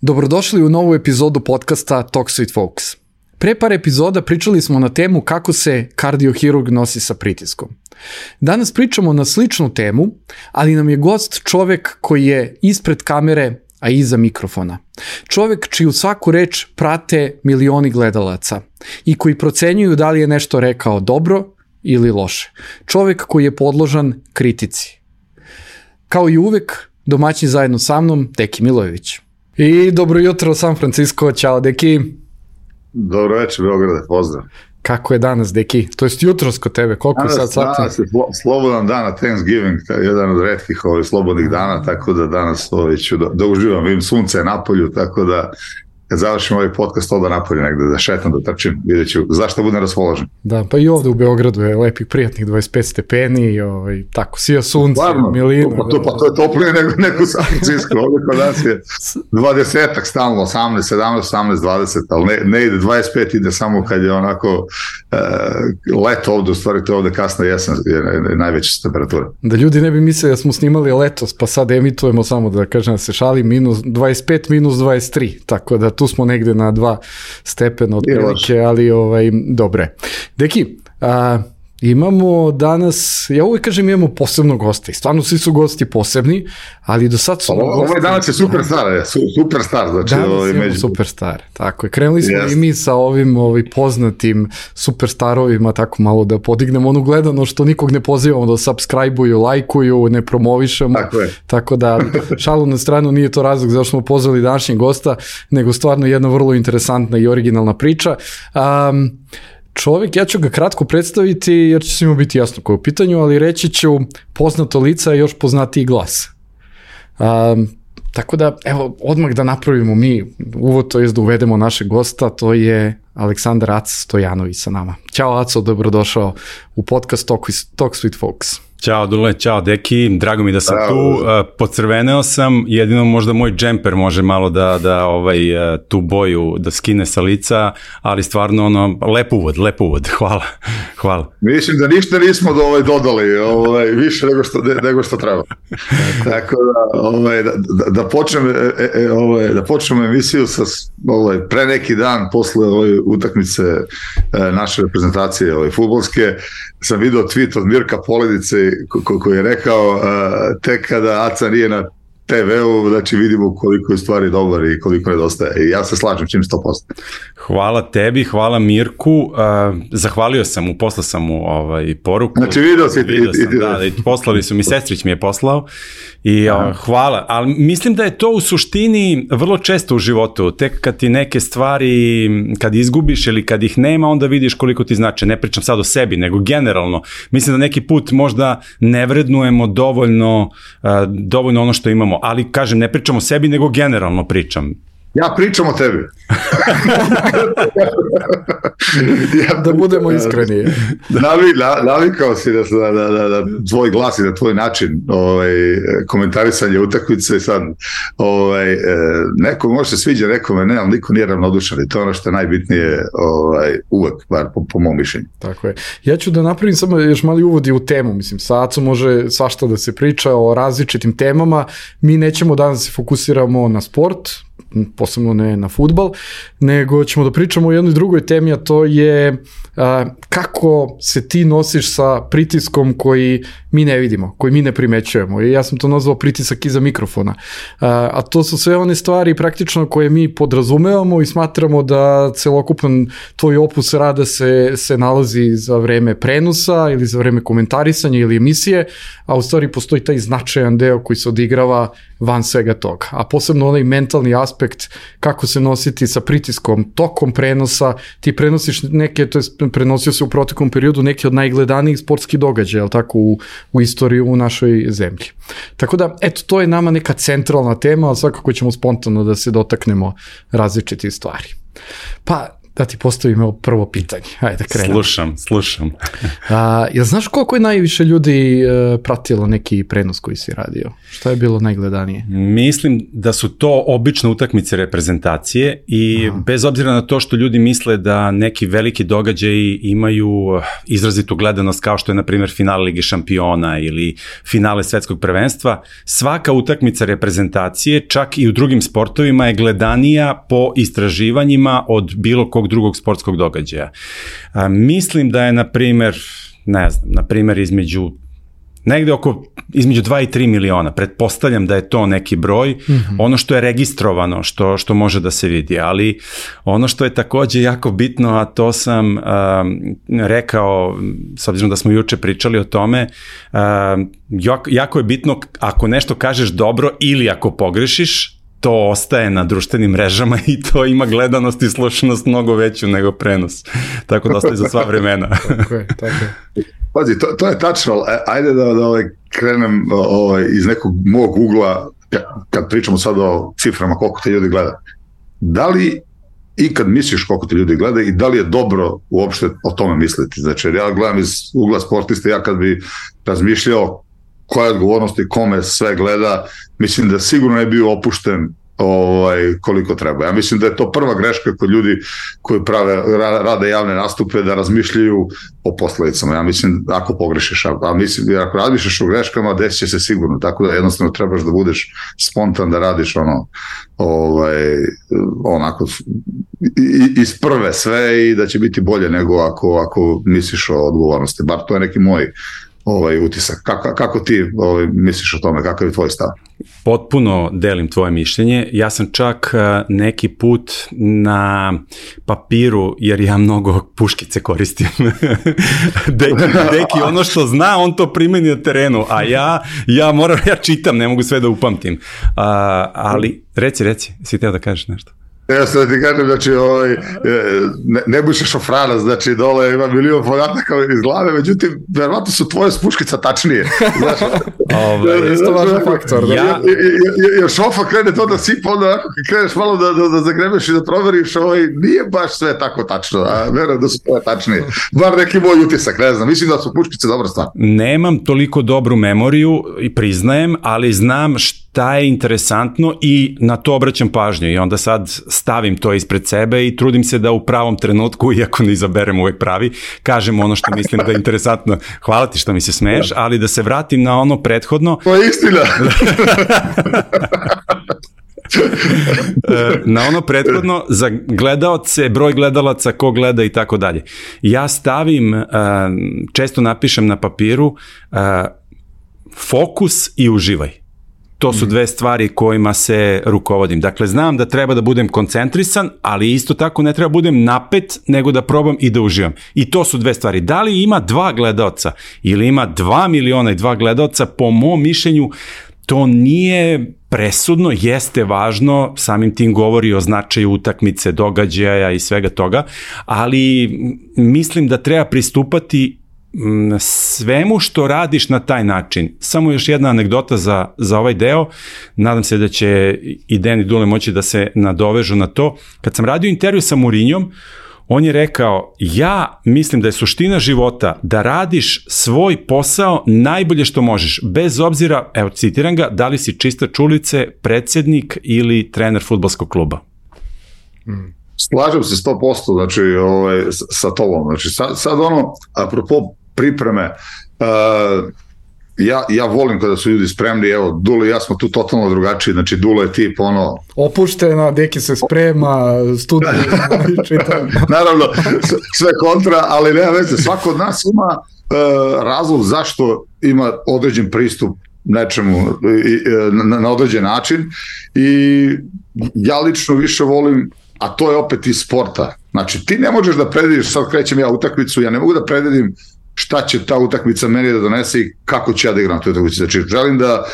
Dobrodošli u novu epizodu podcasta Talks with Folks. Pre par epizoda pričali smo na temu kako se kardiohirurg nosi sa pritiskom. Danas pričamo na sličnu temu, ali nam je gost čovek koji je ispred kamere, a iza mikrofona. Čovek čiju svaku reč prate milioni gledalaca i koji procenjuju da li je nešto rekao dobro ili loše. Čovek koji je podložan kritici. Kao i uvek, domaćin zajedno sa mnom, Deki Milojević. I dobro jutro San Francisco, ćao Deki. Dobro večer Beograde, pozdrav. Kako je danas Deki? To jest jutros kod tebe, koliko je sad sati? Danas je slobodan dan na Thanksgiving, jedan od retkih slobodnih dana, tako da danas ću da uživam, vidim sunce je napolju, tako da kad završim ovaj podcast onda napolju negde, da šetam, da trčim, vidjet ću zašto budem raspoložen. Da, pa i ovde u Beogradu je lepih, prijatnih 25 stepeni i tako, sija sunce, milina. Pa to je toplije nego u San Francisco, ovdje kod nas je 20-ak stalno, 18, 17, 18, 20, ali ne ide 25, ide samo kad je onako leto ovde, u stvari to je ovde kasna jesen, je najveća temperatura. Da ljudi ne bi mislili da smo snimali letos, pa sad emitujemo samo da kažem da se šali, minus 25, minus 23, tako da tu smo negde na 2 stepena otprilike, ali dobre. Deki, imamo danas, ja uvijek kažem imamo posebnog gosta i stvarno svi su gosti posebni, ali do sad su gosti... Ovaj danas je superstar, znači... Danas imamo superstar, tako je. Krenuli smo i mi sa ovim poznatim superstarovima, tako malo da podignemo onu gledano što nikog ne pozivamo da subscribe-uju, lajkuju, ne promovišemo, tako da šalu na stranu, nije to razlog zašto smo pozvali današnjeg gosta, nego stvarno jedna vrlo interesantna i originalna priča. Čovjek, ja ću ga kratko predstaviti jer će svima biti jasno koje je u pitanju, ali reći ću poznato lica i još poznatiji glas. Tako da, evo, odmah da napravimo mi uvod, to je da uvedemo našeg gosta, to je Aleksandar Aca Stojanović sa nama. Ćao Aco, dobrodošao u podcast Talks with Folks. Ćao Dule, ćao Deki, drago mi da sam tu, pocrveneo sam, jedino možda moj džemper može malo da tu boju da skine sa lica, ali stvarno lep uvod, hvala. Mislim da ništa nismo dodali više nego što treba. Tako da počnemo emisiju sa pre neki dan posle utakmice naše reprezentacije fudbalske, sam video tweet od Mirka Poledice koji je rekao tek kada Aca nije na TV-u, znači vidimo koliko je stvari dobar i koliko nedostaje. I ja se slažem čim 100%. Hvala tebi, hvala Mirku. Zahvalio sam mu, poslao sam mu poruku. Znači video si poslali su mi, sestrić mi je poslao i hvala. Ali mislim da je to u suštini vrlo često u životu. Tek kad ti neke stvari, kad izgubiš ili kad ih nema, onda vidiš koliko ti znače. Ne pričam sad o sebi, nego generalno. Mislim da neki put možda ne vrednujemo dovoljno ono što imamo. Ali, kažem, ne pričam o sebi, nego generalno pričam. Ja pričam o tebi. Da budemo iskreni. Navikao si da tvoj glas i da tvoj način komentarisanja utakmice sad neko može se sviđa, nekome ne, ali niko nije ravnodušan i to je ono što je najbitnije uvek, bar po mom mišljenju. Tako je. Ja ću da napravim samo još mali uvod i u temu, mislim, sa Acom može svašta da se priča o različitim temama, mi nećemo danas se fokusiramo na sport, posebno ne na fudbal, nego ćemo da pričamo o jednoj drugoj temi, a to je kako se ti nosiš sa pritiskom koji mi ne vidimo, koji mi ne primećujemo. I ja sam to nazvao pritisak iza mikrofona. A to su sve one stvari praktično koje mi podrazumevamo i smatramo da celokupan tvoj opus rada se nalazi za vreme prenosa ili za vreme komentarisanja ili emisije, a u stvari postoji taj značajan deo koji se odigrava van svega toga. A posebno onaj mentalni aspekt kako se nositi sa pritiskom tokom prenosa, ti prenosiš neke, to je prenosio se u proteklom periodu neki od najgledanijih sportskih događaja, jel tako, u istoriji u našoj zemlji. Tako da, eto, to je nama neka centralna tema, ali svakako ćemo spontano da se dotaknemo različitih stvari. Pa, da ti postavim prvo pitanje. Ajde da krenemo. Slušam. Jel znaš koliko je najviše ljudi pratilo neki prenos koji si radio? Šta je bilo najgledanije? Mislim da su to obično utakmice reprezentacije i bez obzira na to što ljudi misle da neki veliki događaji imaju izrazitu gledanost kao što je na primjer finale Lige šampiona ili finale svetskog prvenstva, svaka utakmica reprezentacije, čak i u drugim sportovima, je gledanija po istraživanjima od bilo kog drugog sportskog događaja. Mislim da je, na primjer, između 2 i 3 miliona. Pretpostavljam da je to neki broj, ono što je registrovano, što može da se vidi, ali ono što je takođe jako bitno, a to sam rekao, s obzirom da smo juče pričali o tome, jako je bitno ako nešto kažeš dobro ili ako pogrešiš, to ostaje na društvenim mrežama i to ima gledanost i slušanost mnogo veću nego prenos. Tako da ostaje za sva vremena. Tako je. Pazi, to je tačno, ajde da krenem iz nekog mog ugla, kad pričamo sad o ciframa koliko te ljudi gleda. Da li ikad misliš koliko te ljudi gleda i da li je dobro uopšte o tome misliti? Znači, ja gledam iz ugla sportista, ja kad bi razmišljao koja je odgovornost i kome sve gleda, mislim da sigurno je bio opušten koliko treba. Ja mislim da je to prva greška kod ljudi koji rade javne nastupe, da razmišljaju o posledicama. Ja mislim ako pogrešiš, ako razmišljaš o greškama, desit će se sigurno, tako da jednostavno trebaš da budeš spontan, da radiš onako iz prve sve i da će biti bolje nego ako misliš o odgovornosti. Bar to je neki moj utisak. Kako ti misliš o tome? Kakav je tvoj stav? Potpuno delim tvoje mišljenje. Ja sam čak neki put na papiru, jer ja mnogo puškice koristim. Deki ono što zna, on to primeni na terenu, a ja čitam, ne mogu sve da upamtim. Ali, reci, si teo da kažeš nešto? Ja sam da ti kažem, znači, Nebojša Šofrana, znači, dole ima milion podataka iz glave, međutim, verovatno su tvoje puškica tačnije. Isto važan faktor. Jer Šofa krene to da sipa, onda kreneš malo da zagrebeš i da proveriš, nije baš sve tako tačno, a verujem da su tvoje tačnije. Bar neki moj utisak, ne znam, mislim da su puškice dobra stvar. Nemam toliko dobru memoriju i priznajem, ali znam šta je interesantno i na to obraćam pažnju i onda sad stavim to ispred sebe i trudim se da u pravom trenutku, iako ne izaberem uvek pravi, kažem ono što mislim da je interesantno. Hvala ti što mi se smeješ, ali da se vratim na ono prethodno. To je istina. Na ono prethodno, za gledaoce, broj gledalaca, ko gleda i tako dalje. Ja stavim, često napišem na papiru, fokus i uživaj. To su dve stvari kojima se rukovodim. Dakle, znam da treba da budem koncentrisan, ali isto tako ne treba budem napet, nego da probam i da uživam. I to su dve stvari. Da li ima 2 gledaoca ili ima 2 miliona i 2 gledaoca, po mom mišljenju, to nije presudno, jeste važno, samim tim govori o značaju utakmice, događaja i svega toga, ali mislim da treba pristupati svemu što radiš na taj način. Samo još jedna anegdota za ovaj deo, nadam se da će i Dejan i Dule moći da se nadovežu na to. Kad sam radio intervju sa Mourinhom, on je rekao, ja mislim da je suština života da radiš svoj posao najbolje što možeš, bez obzira, evo citiram ga, da li si čistač ulice, predsednik ili trener fudbalskog kluba. Slažem se 100%, znači, sa tobom. Znači, sad apropo pripreme, ja volim kada su ljudi spremni, evo, Dule i ja smo tu totalno drugačiji, znači Dule je tip opuštena, Deki se sprema, studij, naravno, sve kontra, ali nema veze, svako od nas ima razlog zašto ima određen pristup nečemu na određen način i ja lično više volim, a to je opet iz sporta. Znači, ti ne možeš da predvidiš, sad krećem ja utakmicu, ja ne mogu da predvidim šta će ta utakmica meni da donese i kako ću ja da igram tu utakmicu. Znači, želim da,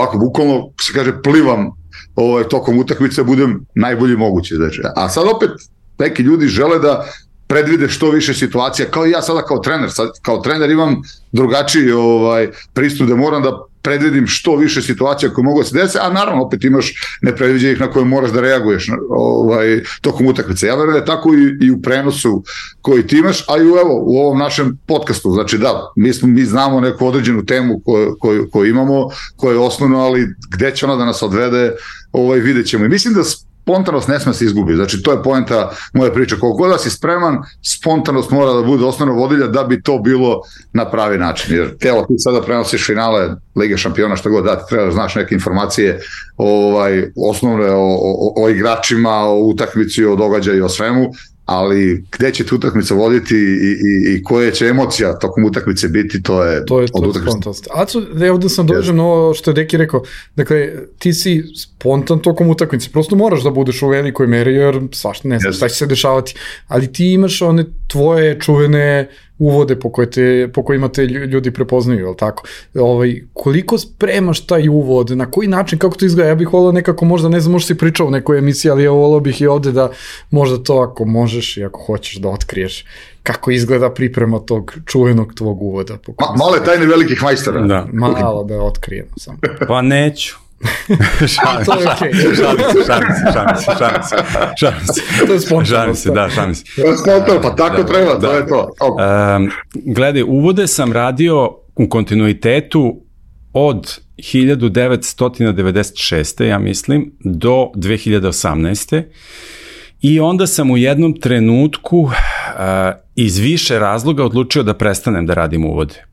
ako bukvalno se kaže, plivam tokom utakmice, budem najbolji mogući. Znači. A sad opet neki ljudi žele da predvide što više situacija, kao i ja sada kao trener. Sad, kao trener imam drugačiji pristup da moram da predvidim što više situacija koje mogu da se desi, a naravno opet imaš nepredviđenih na koje moraš da reaguješ tokom utakmice. Ja verujem da je tako i u prenosu koji ti imaš, a i u ovom našem podcastu. Znači da, mi znamo neku određenu temu koju imamo, koja je osnovno, ali gde će ona da nas odvede, vidjet ćemo. I mislim da spontanost ne sme se izgubi. Znači, to je poenta moje priče. Koliko god da si spreman, spontanost mora da bude osnovna vodilja da bi to bilo na pravi način. Jer ti sada prenosiš finale Lige šampiona, što god da ti treba da znaš neke informacije osnovne o igračima, o utakmici, o događaju, o svemu, ali gde će te utakmica voditi i koje će emocija tokom utakmice biti, to je od utakmice. Aco, ovdje sam dođem na ovo što je Deki rekao, dakle, ti si spontan tokom utakmice, prosto moraš da budeš u velikoj meri, jer svašta ne znam šta će se dešavati, ali ti imaš one tvoje čuvene uvode po kojima te ljudi prepoznaju, je li tako? Koliko spremaš taj uvod, na koji način, kako to izgleda? Ja bih volao nekako, možda, ne znam, možda si pričao u nekoj emisiji, ali ja volao bih i ovde da možda to, ako možeš i ako hoćeš da otkriješ kako izgleda priprema tog čuvenog tvog uvoda. Male tajne velikih majstora. Da. Malo da otkrijemo samo. Pa neću. Šalim se. Pa tako treba, to je to. Gledaj, uvode sam radio u kontinuitetu od 1996. ja mislim do 2018. I onda sam u jednom trenutku iz više razloga odlučio da prestanem da radim uvode.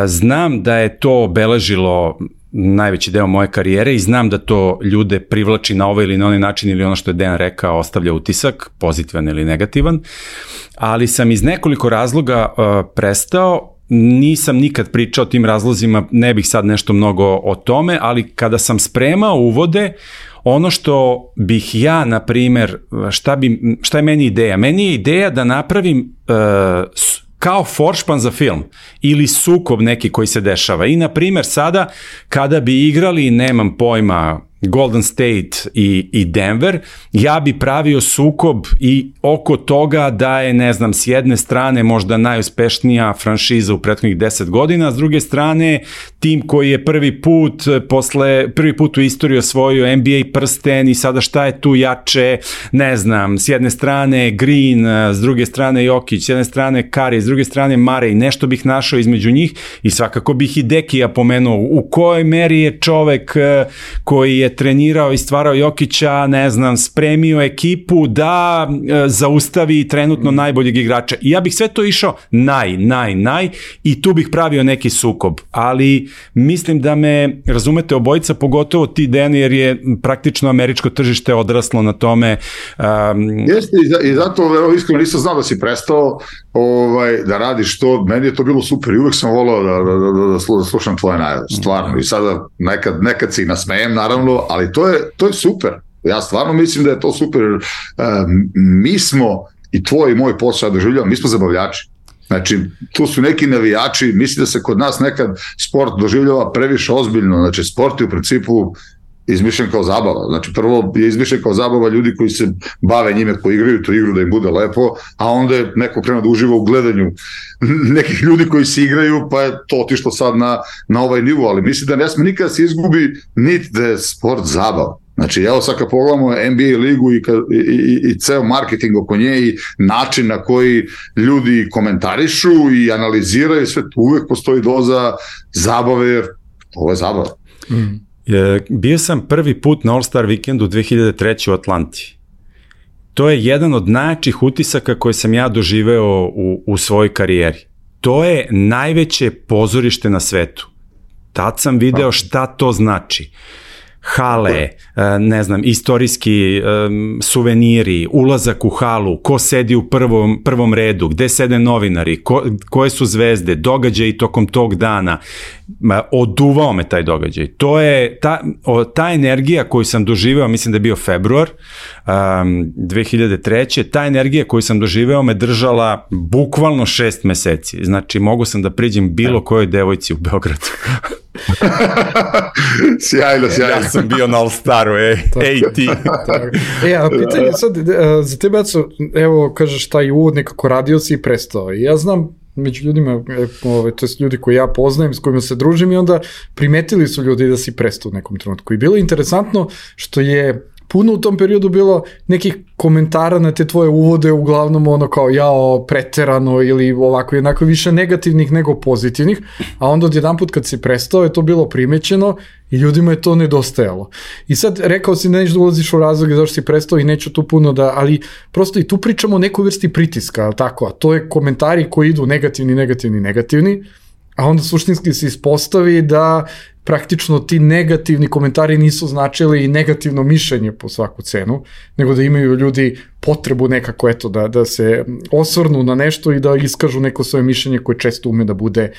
Znam da je to obeležilo najveći deo moje karijere i znam da to ljude privlači na ovaj ili na onaj način ili ono što je Dejan rekao ostavlja utisak, pozitivan ili negativan, ali sam iz nekoliko razloga prestao. Nisam nikad pričao o tim razlozima, ne bih sad nešto mnogo o tome, ali kada sam spremao uvode, ono što bih ja, na primer, šta je meni ideja? Meni je ideja da napravim kao foršpan za film ili sukob neki koji se dešava. I, na primer, sada kada bi igrali, nemam pojma, Golden State i Denver, ja bi pravio sukob i oko toga da je, ne znam, s jedne strane možda najuspešnija franšiza u prethodnih 10 godina, s druge strane tim koji je prvi put u istoriji osvojio NBA prsten i sada šta je tu jače, ne znam, s jedne strane Green, s druge strane Jokić, s jedne strane Curry, s druge strane Murray, nešto bih našao između njih i svakako bih i Dekija pomenuo u kojoj meri je čovek koji je trenirao i stvarao Jokića, ne znam, spremio ekipu da zaustavi trenutno najboljeg igrača. I ja bih sve to išao i tu bih pravio neki sukob. Ali mislim da me, razumete, obojica, pogotovo ti, Dejan, jer je praktično američko tržište odraslo na tome. Jeste, i zato iskreno nisam znao da si prestao da radiš to. Meni je to bilo super i uvek sam volao da slušam tvoje najave, stvarno. I sada nekad se i nasmejem, naravno, ali to je super. Ja stvarno mislim da je to super. Mi smo, i tvoj i moj posao doživljava, mi smo zabavljači. Znači, tu su neki navijači, mislim da se kod nas nekad sport doživljava previše ozbiljno. Znači, sport je u principu izmišljen kao zabava. Znači, prvo je izmišljen kao zabava ljudi koji se bave njime, koji igraju tu igru da im bude lepo, a onda je neko krenuo da uživa u gledanju nekih ljudi koji se igraju, pa je to otišlo sad na ovaj nivo, ali mislim da ne sme nikada se izgubi niti da je sport zabava. Znači, evo sad kad pogledamo NBA ligu i ceo marketing oko nje i način na koji ljudi komentarišu i analiziraju, sve uvek postoji doza zabave, jer ovo je zabava. Bio sam prvi put na All-Star vikendu 2003. u Atlanti. To je jedan od najjačih utisaka koje sam ja doživeo u svojoj karijeri. To je najveće pozorište na svetu. Tad sam video šta to znači. Hale, ne znam, istorijski suveniri, ulazak u halu, ko sedi u prvom redu, gde sede novinari, koje su zvezde, događaji tokom tog dana. Oduvao me taj događaj. To je ta energija koju sam doživeo, mislim da je bio februar 2003. Ta energija koju sam doživeo me držala bukvalno 6 meseci. Znači, mogu sam da priđem bilo kojoj devojci u Beogradu. Sjajno. Ja sam bio na All-Staru, ti. A pitanje sad, za tebe, evo, kažeš taj uvod, nekako radio si i prestao. Ja znam među ljudima, to je ljudi koji ja poznajem, s kojima se družim i onda primetili su ljudi da si prestao u nekom trenutku. I bilo je interesantno što je puno u tom periodu bilo nekih komentara na te tvoje uvode, uglavnom ono kao jao, preterano ili ovako jednako više negativnih nego pozitivnih, a onda odjedanput kad si prestao je to bilo primećeno i ljudima je to nedostajalo. I sad rekao si nećeš da ulaziš u razloge zašto si prestao i neću tu puno da, ali prosto i tu pričamo o nekoj vrsti pritiska, ali tako, a to je komentari koji idu negativni, a onda suštinski se ispostavi da praktično ti negativni komentari nisu značili negativno mišljenje po svaku cenu, nego da imaju ljudi potrebu nekako eto da se osvrnu na nešto i da iskažu neko svoje mišljenje koje često ume da bude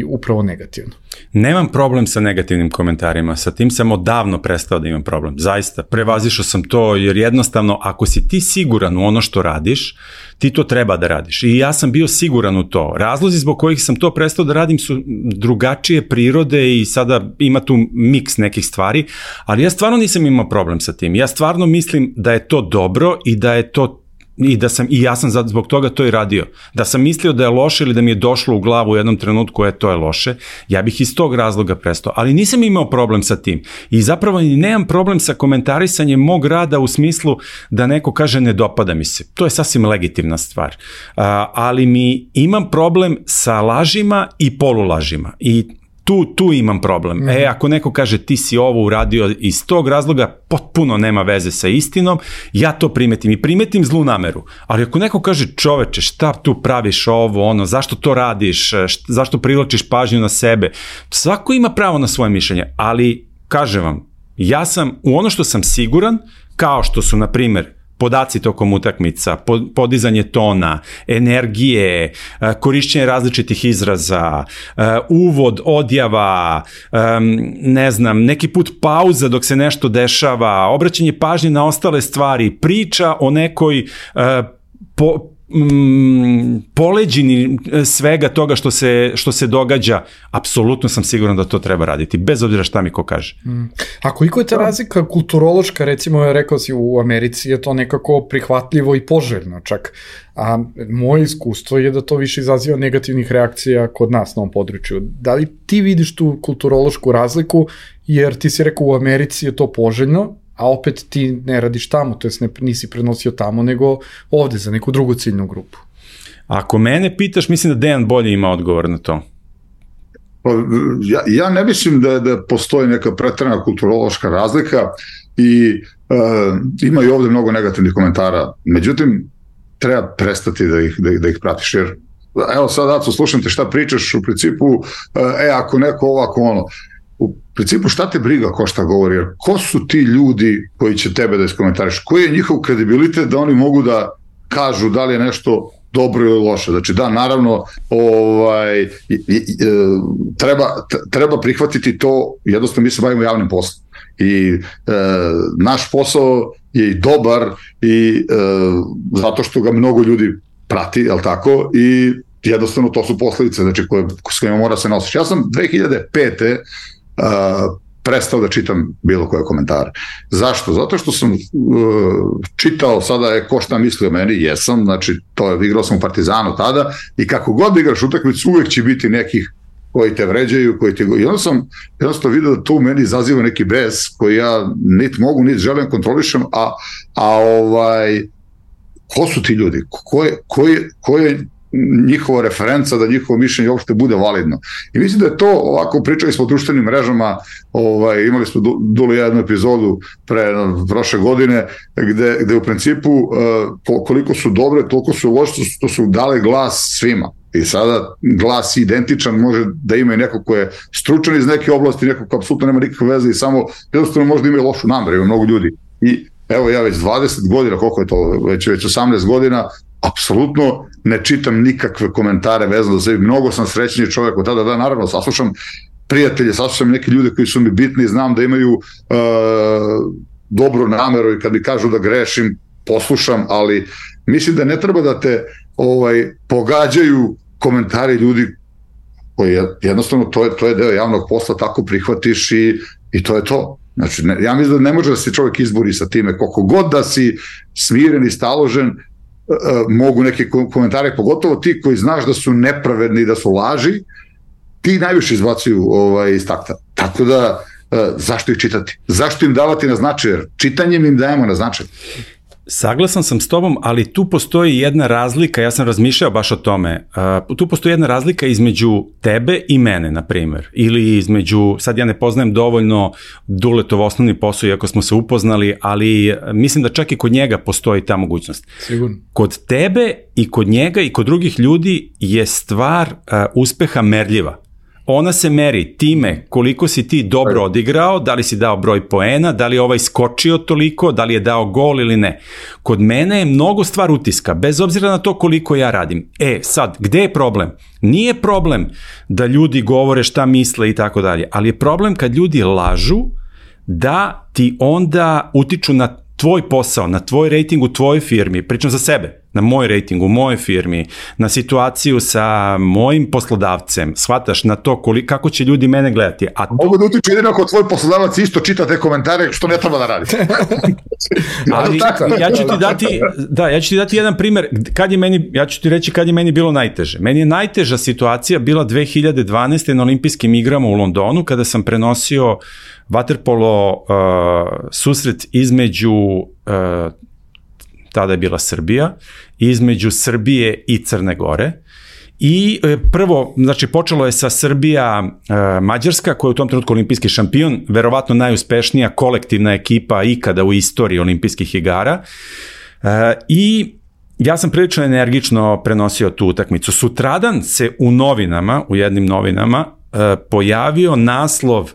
upravo negativno. Nemam problem sa negativnim komentarima, sa tim sam odavno prestao da imam problem, zaista, prevazišao sam to jer jednostavno ako si ti siguran u ono što radiš, ti to treba da radiš i ja sam bio siguran u to. Razlozi zbog kojih sam to prestao da radim su drugačije prirode i sada ima tu miks nekih stvari, ali ja stvarno nisam imao problem sa tim. Ja stvarno mislim da je to dobro i da je to i ja sam zbog toga to i radio. Da sam mislio da je loše ili da mi je došlo u glavu u jednom trenutku to je loše, ja bih iz tog razloga prestao, ali nisam imao problem sa tim. I zapravo nemam problem sa komentarisanjem mog rada u smislu da neko kaže ne dopada mi se. To je sasvim legitimna stvar. Ali imam problem sa lažima i polulažima. I tu imam problem. Ako neko kaže ti si ovo uradio iz tog razloga, potpuno nema veze sa istinom, ja to primetim i primetim zlu nameru. Ali ako neko kaže čoveče, šta tu praviš ovo, zašto to radiš, zašto privlačiš pažnju na sebe, svako ima pravo na svoje mišljenje, ali kažem vam, ja sam u ono što sam siguran, kao što su, na primjer, podaci tokom utakmica, podizanje tona, energije, korišćenje različitih izraza, uvod, odjava, ne znam, neki put pauza dok se nešto dešava, obraćanje pažnje na ostale stvari, priča o nekoj poleđini svega toga što se događa, apsolutno sam siguran da to treba raditi, bez obzira šta mi ko kaže. A koliko je ta razlika kulturološka, recimo, rekao si u Americi je to nekako prihvatljivo i poželjno čak, a moje iskustvo je da to više izaziva negativnih reakcija kod nas na ovom području. Da li ti vidiš tu kulturološku razliku, jer ti si rekao u Americi je to poželjno, a opet ti ne radiš tamo, to jest nisi prenosio tamo, nego ovde za neku drugu ciljnu grupu. Ako mene pitaš, mislim da Dejan bolje ima odgovor na to. Ja ne mislim da postoji neka preterana kulturološka razlika i ima i ovde mnogo negativnih komentara, međutim, treba prestati da ih pratiš, jer evo sad, Aco, slušam te šta pričaš, u principu, ako neko ovako ono, u principu šta te briga ko šta govori, jer ko su ti ljudi koji će tebe da iskomentariš, koji je njihov kredibilitet da oni mogu da kažu da li je nešto dobro ili loše. Znači da, naravno, treba prihvatiti to, jednostavno mi se bavimo javnim poslom i naš posao je i dobar i zato što ga mnogo ljudi prati, jel tako, i jednostavno to su posledice, znači s kojima mora se nositi. Ja sam 2005. Prestao da čitam bilo koje komentare. Zašto? Zato što sam čitao sada ko šta misli o meni, jesam, znači igrao sam u Partizanu tada i kako god igraš utakmicu uvek će biti nekih koji te vređaju, i onda sam jednostavno vidio da to u meni izaziva neki bes koji ja niti mogu, niti želim kontrolišem, ko su ti ljudi? Ko je njihova referenca da njihovo mišljenje uopšte bude validno. I mislim da je to, ovako pričali smo o društvenim mrežama, imali smo Duli jednu epizodu prošle godine, gde u principu koliko su dobre, toliko su loše, to su dale glas svima. I sada glas identičan može da ima i neko ko je stručan iz neke oblasti, neko ko apsolutno nema nikakve veze i samo jednostavno možda ima lošu nameru, ima mnogo ljudi. I evo ja već 20 godina, koliko je to, već 18 godina, apsolutno ne čitam nikakve komentare vezano za sebi, mnogo sam srećniji čovjek od tada, da, naravno, saslušam prijatelje, saslušam neke ljude koji su mi bitni, znam da imaju dobru nameru i kad mi kažu da grešim, poslušam, ali mislim da ne treba da te pogađaju komentari ljudi koji jednostavno, to je deo javnog posla, tako prihvatiš i to je to. Znači, ja mislim da ne može da se čovjek izbori sa time, koliko god da si smiren i staložen, mogu neki komentari, pogotovo ti koji znaš da su nepravedni, da su laži, ti najviše izbacuju iz takta. Tako da, zašto ih čitati? Zašto im davati na značaj? Jer čitanjem im dajemo na značaj. Saglasan sam s tobom, ali tu postoji jedna razlika, ja sam razmišljao baš o tome, tu postoji jedna razlika između tebe i mene, na primjer, ili između, sad ja ne poznajem dovoljno Duletov osnovni posao, iako smo se upoznali, ali mislim da čak i kod njega postoji ta mogućnost. Sigurno. Kod tebe i kod njega i kod drugih ljudi je stvar uspeha merljiva. Ona se meri time koliko si ti dobro odigrao, da li si dao broj poena, da li je ovaj skočio toliko, da li je dao gol ili ne. Kod mene je mnogo stvar utiska, bez obzira na to koliko ja radim. Sad, gde je problem? Nije problem da ljudi govore šta misle i tako dalje, ali je problem kad ljudi lažu da ti onda utiču na tvoj posao, na tvoj rating u tvojoj firmi, pričam za sebe, na moj rating u mojoj firmi, na situaciju sa mojim poslodavcem, shvataš na to kako će ljudi mene gledati. Mogu da utiču jedino ako tvoj poslodavac isto čita te komentare što ne treba da radi. Ali ja ću ti dati jedan primer, ja ću ti reći kad je meni bilo najteže. Meni je najteža situacija bila 2012. na olimpijskim igrama u Londonu, kada sam prenosio vaterpolo susret između, tada je bila Srbija, između Srbije i Crne Gore. I prvo, znači počelo je sa Srbija-Mađarska, koja je u tom trenutku olimpijski šampion, verovatno najuspešnija kolektivna ekipa ikada u istoriji olimpijskih igara. I ja sam prilično energično prenosio tu utakmicu. Sutradan se u novinama, u jednim novinama, pojavio naslov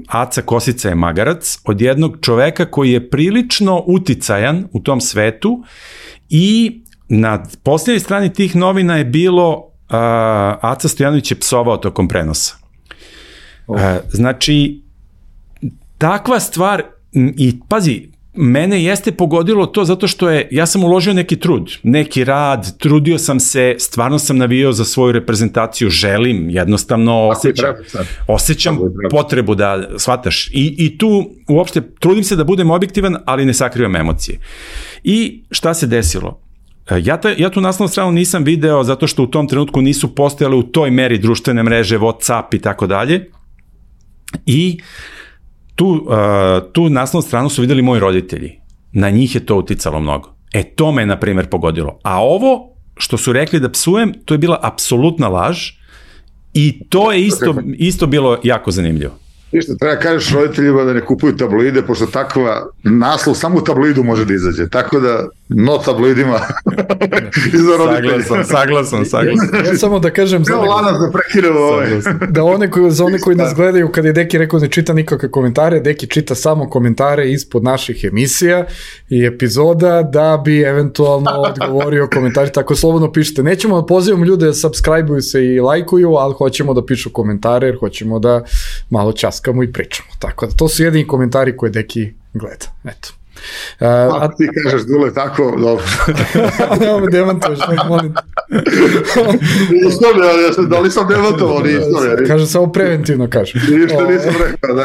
Aca Kosica je magarac od jednog čoveka koji je prilično uticajan u tom svetu i na posljednjoj strani tih novina je bilo Aca Stojanović je psovao tokom prenosa. Znači, takva stvar i pazi, mene jeste pogodilo to zato što ja sam uložio neki trud, neki rad, trudio sam se, stvarno sam navijao za svoju reprezentaciju, želim, jednostavno osjećam potrebu da shvataš i tu uopšte trudim se da budem objektivan, ali ne sakrivam emocije. I šta se desilo? Ja tu naslovnu stranu nisam video zato što u tom trenutku nisu postojale u toj meri društvene mreže, WhatsApp i tako dalje. I tu naslovnu stranu su videli moji roditelji. Na njih je to uticalo mnogo. To me, na primjer, pogodilo. A ovo što su rekli da psujem, to je bila apsolutna laž i to je isto bilo jako zanimljivo. Ništa, treba kažeš roditeljima da ne kupuju tabloide, pošto takva naslov samo u tabloidu može da izađe. Tako da, no tabloidima iza roditelja. Saglasan. Ja samo da kažem za one koji nas gledaju, kad je Deki rekao ne čita nikakve komentare, Deki čita samo komentare ispod naših emisija i epizoda da bi eventualno odgovorio komentari, tako slobodno pišite. Nećemo da pozivamo ljude da subscribe-uju se i lajkuju, ali hoćemo da pišu komentare jer hoćemo da malo časkamo i pričamo. Tako da to su jedini komentari koje Deki gleda. Eto. Ti kažeš Dule tako, dobro. Nemo me demantuješ, molim. Da li sam demantovao, Kaže, samo preventivno kaže. Ništa nisam rekao.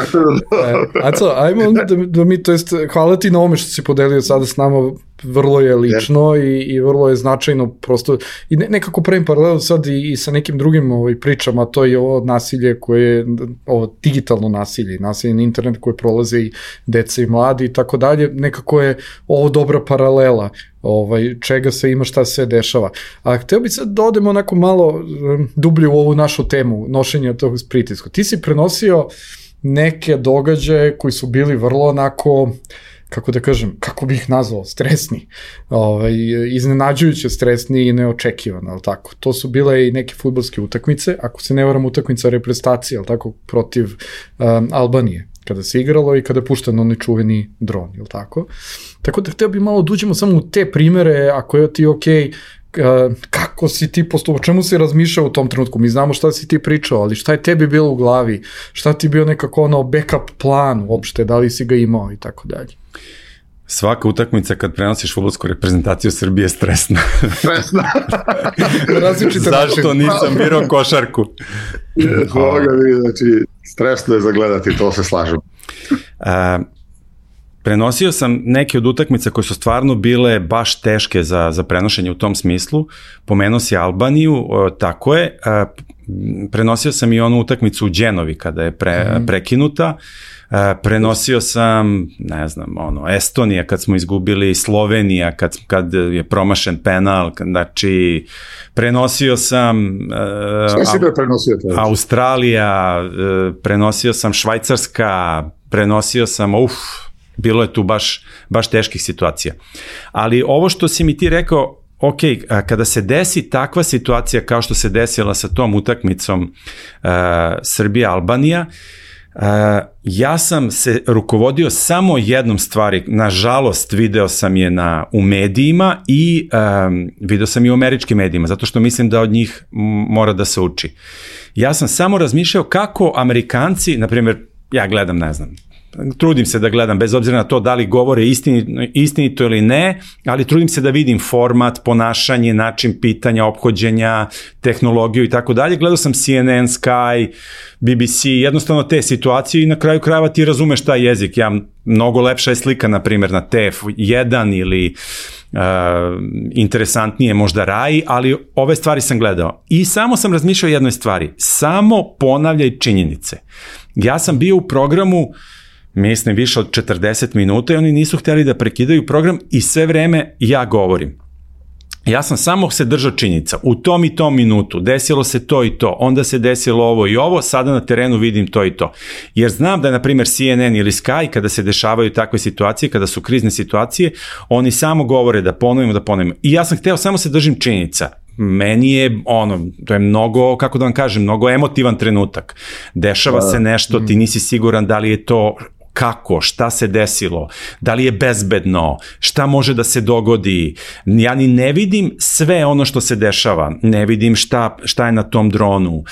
Aco, ajmo da mi, to jest, hvala ti na ome što si podelio sada s nama, vrlo je lično i vrlo je značajno, prosto, i nekako pravim paralelu sad i sa nekim drugim pričama, to je ovo nasilje koje, ovo digitalno nasilje na internet koje prolaze i deca i mladi i tako dalje, nekako je ovo dobra paralela čega se ima, šta se dešava. A hteo bih sad da odemo onako malo dublje u ovu našu temu, nošenja tog pritiska. Ti si prenosio neke događaje koji su bili vrlo onako, kako da kažem, kako bih ih nazvao, stresni, iznenađujuće stresni i neočekivani, ali tako. To su bile i neke fudbalske utakmice, ako se ne varam utakmica reprezentacije, ali tako, protiv Albanije, kada se igralo i kada je pušten onaj čuveni dron, ili tako. Tako da hteo bih malo da uđemo samo u te primere, ako je ti okej, kako si ti postupao, čemu si razmišljao u tom trenutku, mi znamo šta si ti pričao, ali šta je tebi bilo u glavi, šta ti bio nekako backup plan uopšte, da li si ga imao i tako dalje. Svaka utakmica kad prenosiš fudbalsku reprezentaciju Srbije je stresna. Zašto nisam birao košarku? Znači, stresno je zagledati, to se slažem. prenosio sam neke od utakmica koje su stvarno bile baš teške za prenošenje u tom smislu. Pomenuo si Albaniju, tako je. Prenosio sam i onu utakmicu u Đenovi kada je prekinuta. Prenosio sam, ne znam, Estonija kad smo izgubili, Slovenija kad je promašen penal, znači prenosio sam Australija, prenosio sam Švajcarska, prenosio sam, bilo je tu baš teških situacija. Ali ovo što si mi ti rekao, ok, kada se desi takva situacija kao što se desila sa tom utakmicom Srbija-Albanija, ja sam se rukovodio samo jednom stvari, nažalost video sam je u medijima i video sam i u američkim medijima, zato što mislim da od njih mora da se uči. Ja sam samo razmišljao kako Amerikanci, na primjer, ja gledam, ne znam, trudim se da gledam, bez obzira na to da li govore istinito ili ne, ali trudim se da vidim format, ponašanje, način pitanja, ophođenja, tehnologiju i tako dalje. Gledao sam CNN, Sky, BBC, jednostavno te situacije i na kraju krajeva ti razumeš taj jezik. Mnogo lepša je slika, na primjer, na TF1 ili interesantnije možda Rai, ali ove stvari sam gledao. I samo sam razmišljao o jednoj stvari, samo ponavljaj činjenice. Ja sam bio u programu, mislim, više od 40 minuta i oni nisu htjeli da prekidaju program i sve vreme ja govorim. Ja sam samo se držao činjenica. U tom i tom minutu desilo se to i to, onda se desilo ovo i ovo, sada na terenu vidim to i to. Jer znam da je, na primjer, CNN ili Sky, kada se dešavaju takve situacije, kada su krizne situacije, oni samo govore da ponovimo. I ja sam hteo samo se držim činjenica. Meni je to je mnogo, kako da vam kažem, mnogo emotivan trenutak. Dešava se nešto, ti nisi siguran da li je to kako, šta se desilo, da li je bezbedno, šta može da se dogodi. Ja ni ne vidim sve ono što se dešava, ne vidim šta je na tom dronu,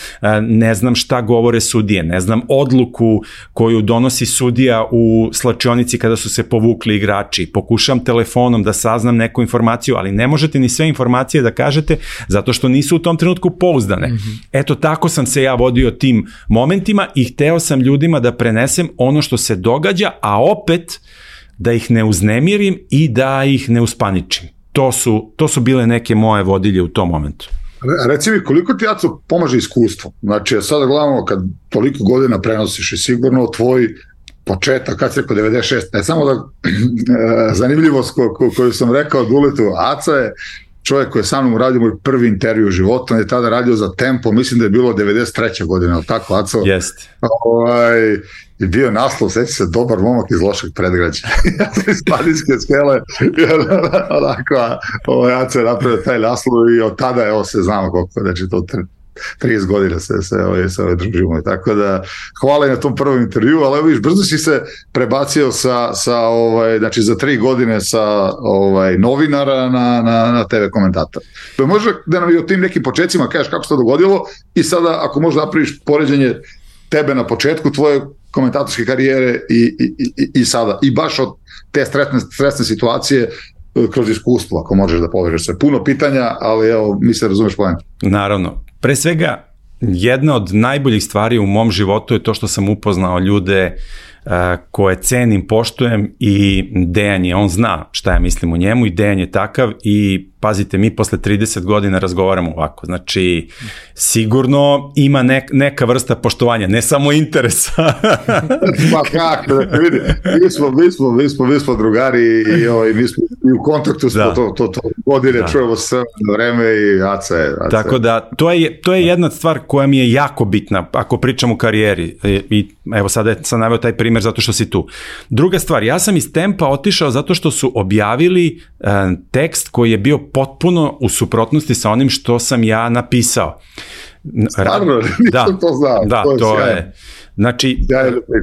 ne znam šta govore sudije, ne znam odluku koju donosi sudija u slačionici kada su se povukli igrači. Pokušam telefonom da saznam neku informaciju, ali ne možete ni sve informacije da kažete zato što nisu u tom trenutku pouzdane. Eto, tako sam se ja vodio tim momentima i hteo sam ljudima da prenesem ono što se događa, a opet da ih ne uznemirim i da ih ne uspaničim. To su bile neke moje vodilje u tom momentu. Reci mi, koliko ti, Aco, pomaže iskustvo? Znači, sada gledamo, kad toliko godina prenosiš i sigurno tvoj početak, kad si rekao 96, samo da zanimljivost koju sam rekao Duletu, Aca je čovjek koji je sa mnom uradio moj prvi intervju u životu, on je tada radio za Tempo, mislim da je bilo 93. godine, ali tako, Aco? Jeste. I bio naslov, sveći se, dobar momak iz lošeg predgrađa. Ja sam iz Padinske skele, onako, Aco je napravio taj naslov i od tada je, se znamo koliko, znači to 30 godina se družimo i tako da hvala i na tom prvom intervju, ali evo viš, brzo si se prebacio znači za 3 godine sa novinara na TV komentator. Može da nam i o tim nekim početcima kažeš kako se to dogodilo i sada ako možda napraviš poređenje tebe na početku tvoje komentatorske karijere i sada, i baš od te stresne situacije kroz iskustvo, ako možeš da povežeš se. Puno pitanja, ali evo, mi se razumeš poenta. Naravno. Pre svega, jedna od najboljih stvari u mom životu je to što sam upoznao ljude koje cenim, poštujem i Dejan je, on zna šta ja mislim o njemu i Dejan je takav i pazite, mi posle 30 godina razgovaramo ovako, znači sigurno ima neka vrsta poštovanja, ne samo interesa. Pa kako, vidi, mi smo drugari i mi smo i u kontaktu smo to godine, čujemo sve na vreme i Aca je. Tako da, to je jedna stvar koja mi je jako bitna, ako pričam o karijeri i evo sada sam naveo taj primer zato što si tu. Druga stvar, ja sam iz Tempa otišao zato što su objavili tekst koji je bio potpuno u suprotnosti sa onim što sam ja napisao. Stvarno, nisam to znao. Da, to je. Znači,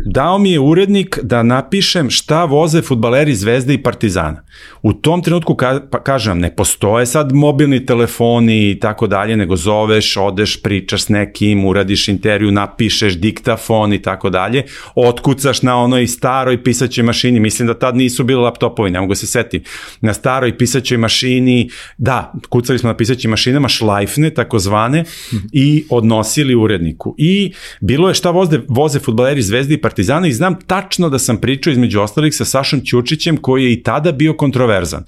dao mi je urednik da napišem šta voze fudbaleri Zvezde i Partizana. U tom trenutku, kažem, ne postoje sad mobilni telefoni i tako dalje, nego zoveš, odeš, pričaš s nekim, uradiš intervju, napišeš diktafon i tako dalje, otkucaš na onoj staroj pisaćoj mašini, mislim da tad nisu bili laptopovi, ne mogu se setiti, na staroj pisaćoj mašini, da, kucali smo na pisaćim mašinama, šlajfne, takozvane, i odnosili uredniku. I bilo je šta voze voze fudbaleri Zvezde i Partizana i znam tačno da sam pričao između ostalih sa Sašom Ćurčićem koji je i tada bio kontroverzan.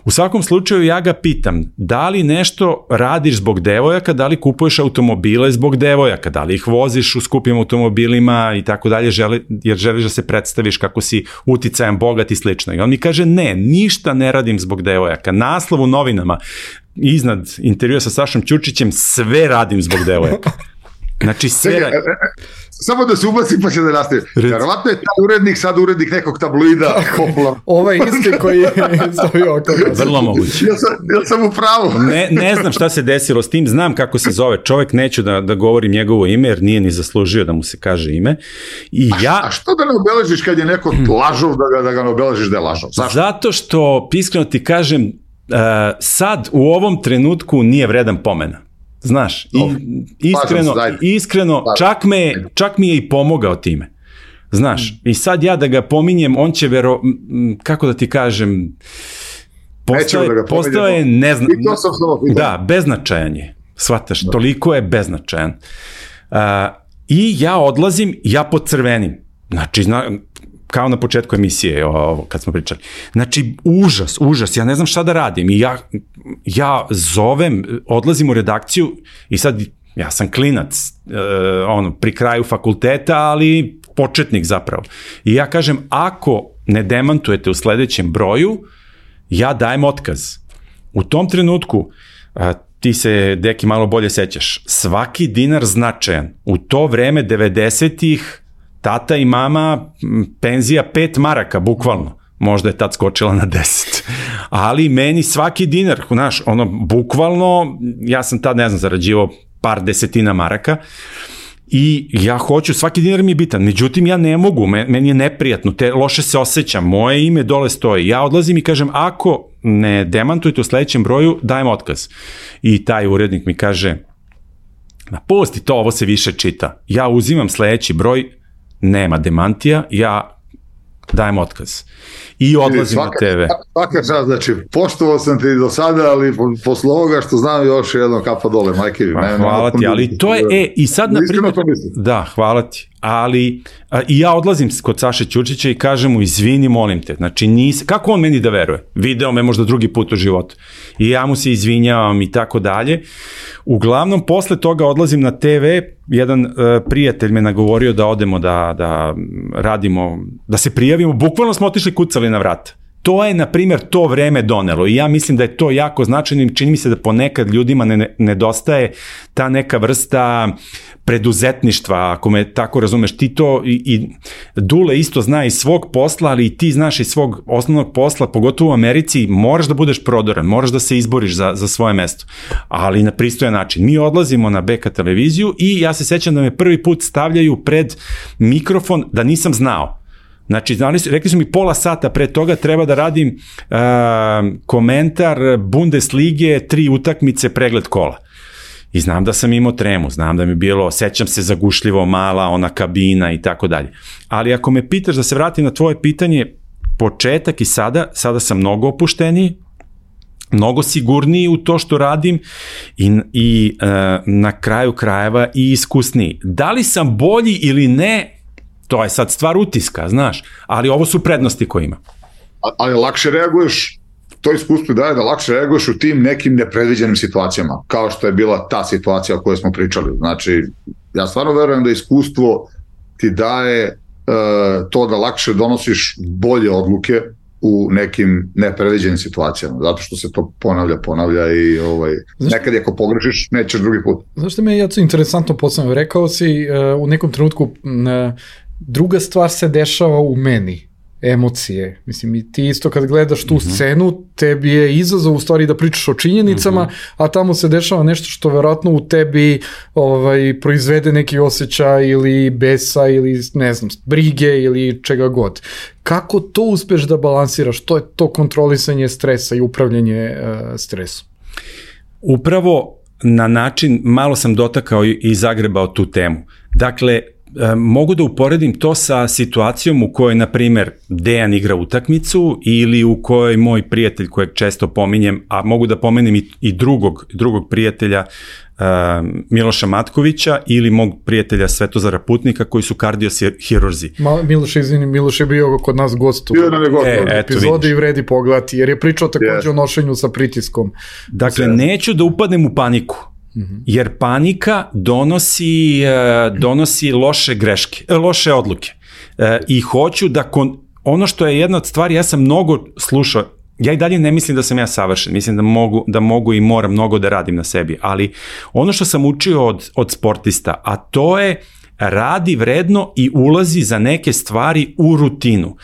U svakom slučaju ja ga pitam, da li nešto radiš zbog devojaka, da li kupuješ automobile zbog devojaka, da li ih voziš u skupim automobilima i tako dalje, jer želiš da se predstaviš kako si uticajan, bogat i slično. I on mi kaže, ne, ništa ne radim zbog devojaka. Naslov u novinama, iznad intervjua sa Sašom Ćurčićem, sve radim zbog devojaka. Znači sve... Samo da se ubaci pa će da nastavi. Verovatno je ta urednik sad urednik nekog tabloida. Ovaj isti koji je stavio oko. Vrlo moguće. Ja sam u pravu. Ne znam šta se desilo s tim, znam kako se zove čovek, neću da govorim njegovo ime jer nije ni zaslužio da mu se kaže ime. A što da ne obeležiš kad je neko lažov da ga ne obeležiš da je lažov? Zašto? Zato što, iskreno ti kažem, sad u ovom trenutku nije vredan pomena. Znaš, iskreno, čak mi je i pomogao time. Znaš, i sad ja da ga pominjem, on će kako da ti kažem, postao je beznačajan je. Shvataš, toliko je beznačajan. I ja odlazim, ja podcrvenim. Znači, kao na početku emisije, kad smo pričali. Znači, užas, ja ne znam šta da radim i ja zovem, odlazim u redakciju i sad, ja sam klinac, pri kraju fakulteta, ali početnik zapravo. I ja kažem, ako ne demantujete u sledećem broju, ja dajem otkaz. U tom trenutku, ti se, Deki, malo bolje sećaš, svaki dinar značajan. U to vreme 90-ih tata i mama, penzija 5 maraka, bukvalno. Možda je tad skočila na 10. Ali meni svaki dinar, znaš, bukvalno, ja sam tad, ne znam, zarađivao par desetina maraka i ja hoću, svaki dinar mi je bitan. Međutim, ja ne mogu, meni je neprijatno, loše se osjećam, moje ime dole stoji. Ja odlazim i kažem, ako ne demantujete u sledećem broju, dajem otkaz. I taj urednik mi kaže, pusti to, ovo se više čita. Ja uzimam sledeći broj, nema demantija, ja dajem otkaz. I odlazim na TV. Svaka čast, znači, poštovao sam te i do sada, ali posle ovoga što znam još jedno kapa dole, majke. Hvala ti, ali to je, i sad na primjer... Da, hvala ti. Ali, i ja odlazim kod Saše Ćurčića i kažem mu, izvini, molim te, znači kako on meni da veruje? Video me možda drugi put u životu. I ja mu se izvinjavam i tako dalje. Uglavnom, posle toga odlazim na TV, jedan prijatelj me nagovorio da odemo da radimo, da se prijavimo, bukvalno smo otišli kucali na vrata. To je, na primjer, to vreme donelo i ja mislim da je to jako značajno, čini mi se da ponekad ljudima nedostaje ta neka vrsta preduzetništva, ako me tako razumeš, ti to i Dule isto zna iz svog posla, ali i ti znaš iz svog osnovnog posla, pogotovo u Americi, moraš da budeš prodoran, moraš da se izboriš za svoje mesto, ali na pristojan način. Mi odlazimo na BK televiziju i ja se sećam da me prvi put stavljaju pred mikrofon da nisam znao. Znači, rekli su mi pola sata pre toga treba da radim komentar Bundeslige, 3 utakmice, pregled kola. I znam da sam imao tremu, znam da mi je bilo, sećam se zagušljivo mala, ona kabina i tako dalje. Ali ako me pitaš da se vratim na tvoje pitanje, početak i sada sam mnogo opušteniji, mnogo sigurniji u to što radim i na kraju krajeva i iskusniji. Da li sam bolji ili ne, to je sad stvar utiska, znaš, ali ovo su prednosti koje ima. Ali lakše reaguješ, to iskustvo daje da lakše reaguješ u tim nekim nepredviđenim situacijama, kao što je bila ta situacija o kojoj smo pričali. Znači, ja stvarno verujem da iskustvo ti daje to da lakše donosiš bolje odluke u nekim nepredviđenim situacijama, zato što se to ponavlja i nekad ako pogrešiš, nećeš drugi put. Znaš što me je interesantno postavljeno, rekao si u nekom trenutku druga stvar se dešava u meni, emocije. Mislim, i ti isto kad gledaš tu scenu, tebi je izazov u stvari da pričaš o činjenicama, a tamo se dešava nešto što verovatno u tebi proizvede neki osjećaj ili besa ili ne znam, brige ili čega god. Kako to uspeš da balansiraš? To je to kontrolisanje stresa i upravljanje stresom. Upravo na način, malo sam dotakao i zagrebao tu temu. Dakle, mogu da uporedim to sa situacijom u kojoj, na primer, Dejan igra utakmicu ili u kojoj moj prijatelj kojeg često pominjem, a mogu da pomenem i drugog prijatelja, Miloša Matkovića ili mog prijatelja Svetozara Putnika koji su kardiohirurzi. Miloš je bio kod nas gost u epizodi i vredi pogledati, jer je pričao takođe o nošenju sa pritiskom. Dakle, neću da upadnem u paniku, jer panika donosi loše odluke. I hoću da, ono što je jedna od stvari, ja sam mnogo slušao, ja i dalje ne mislim da sam ja savršen, mislim da mogu i moram mnogo da radim na sebi, ali ono što sam učio od sportista, a to je radi vredno i ulazi za neke stvari u rutinu.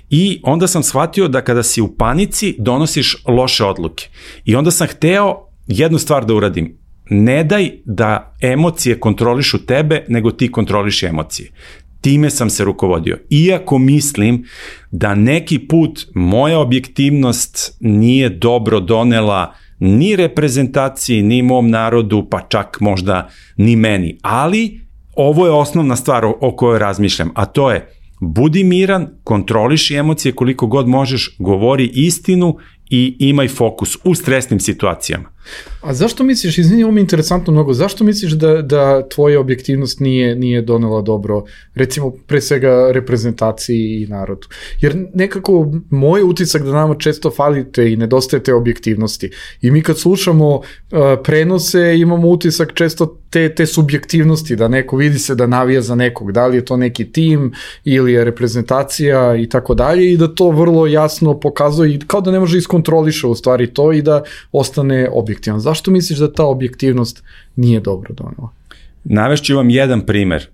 I onda sam shvatio da kada si u panici donosiš loše odluke. I onda sam hteo jednu stvar da uradim. Ne daj da emocije kontrolišu tebe, nego ti kontroliši emocije. Time sam se rukovodio. Iako mislim da neki put moja objektivnost nije dobro donela ni reprezentaciji, ni mom narodu, pa čak možda ni meni. Ali ovo je osnovna stvar o kojoj razmišljam, a to je budi miran, kontroliši emocije koliko god možeš, govori istinu i imaj fokus u stresnim situacijama. A zašto misliš, izvini, ovo mi je interesantno mnogo, zašto misliš da tvoja objektivnost nije donela dobro, recimo pre svega reprezentaciji i narodu? Jer nekako moj utisak da nama često falite i nedostaje te objektivnosti. I mi kad slušamo prenose imamo utisak često te subjektivnosti, da neko vidi se da navija za nekog, da li je to neki tim ili je reprezentacija i tako dalje, i da to vrlo jasno pokazuje i kao da ne može iskontroliše u stvari to i da ostane objektivan. Zašto misliš da ta objektivnost nije dobro donela? Navešću vam jedan primer.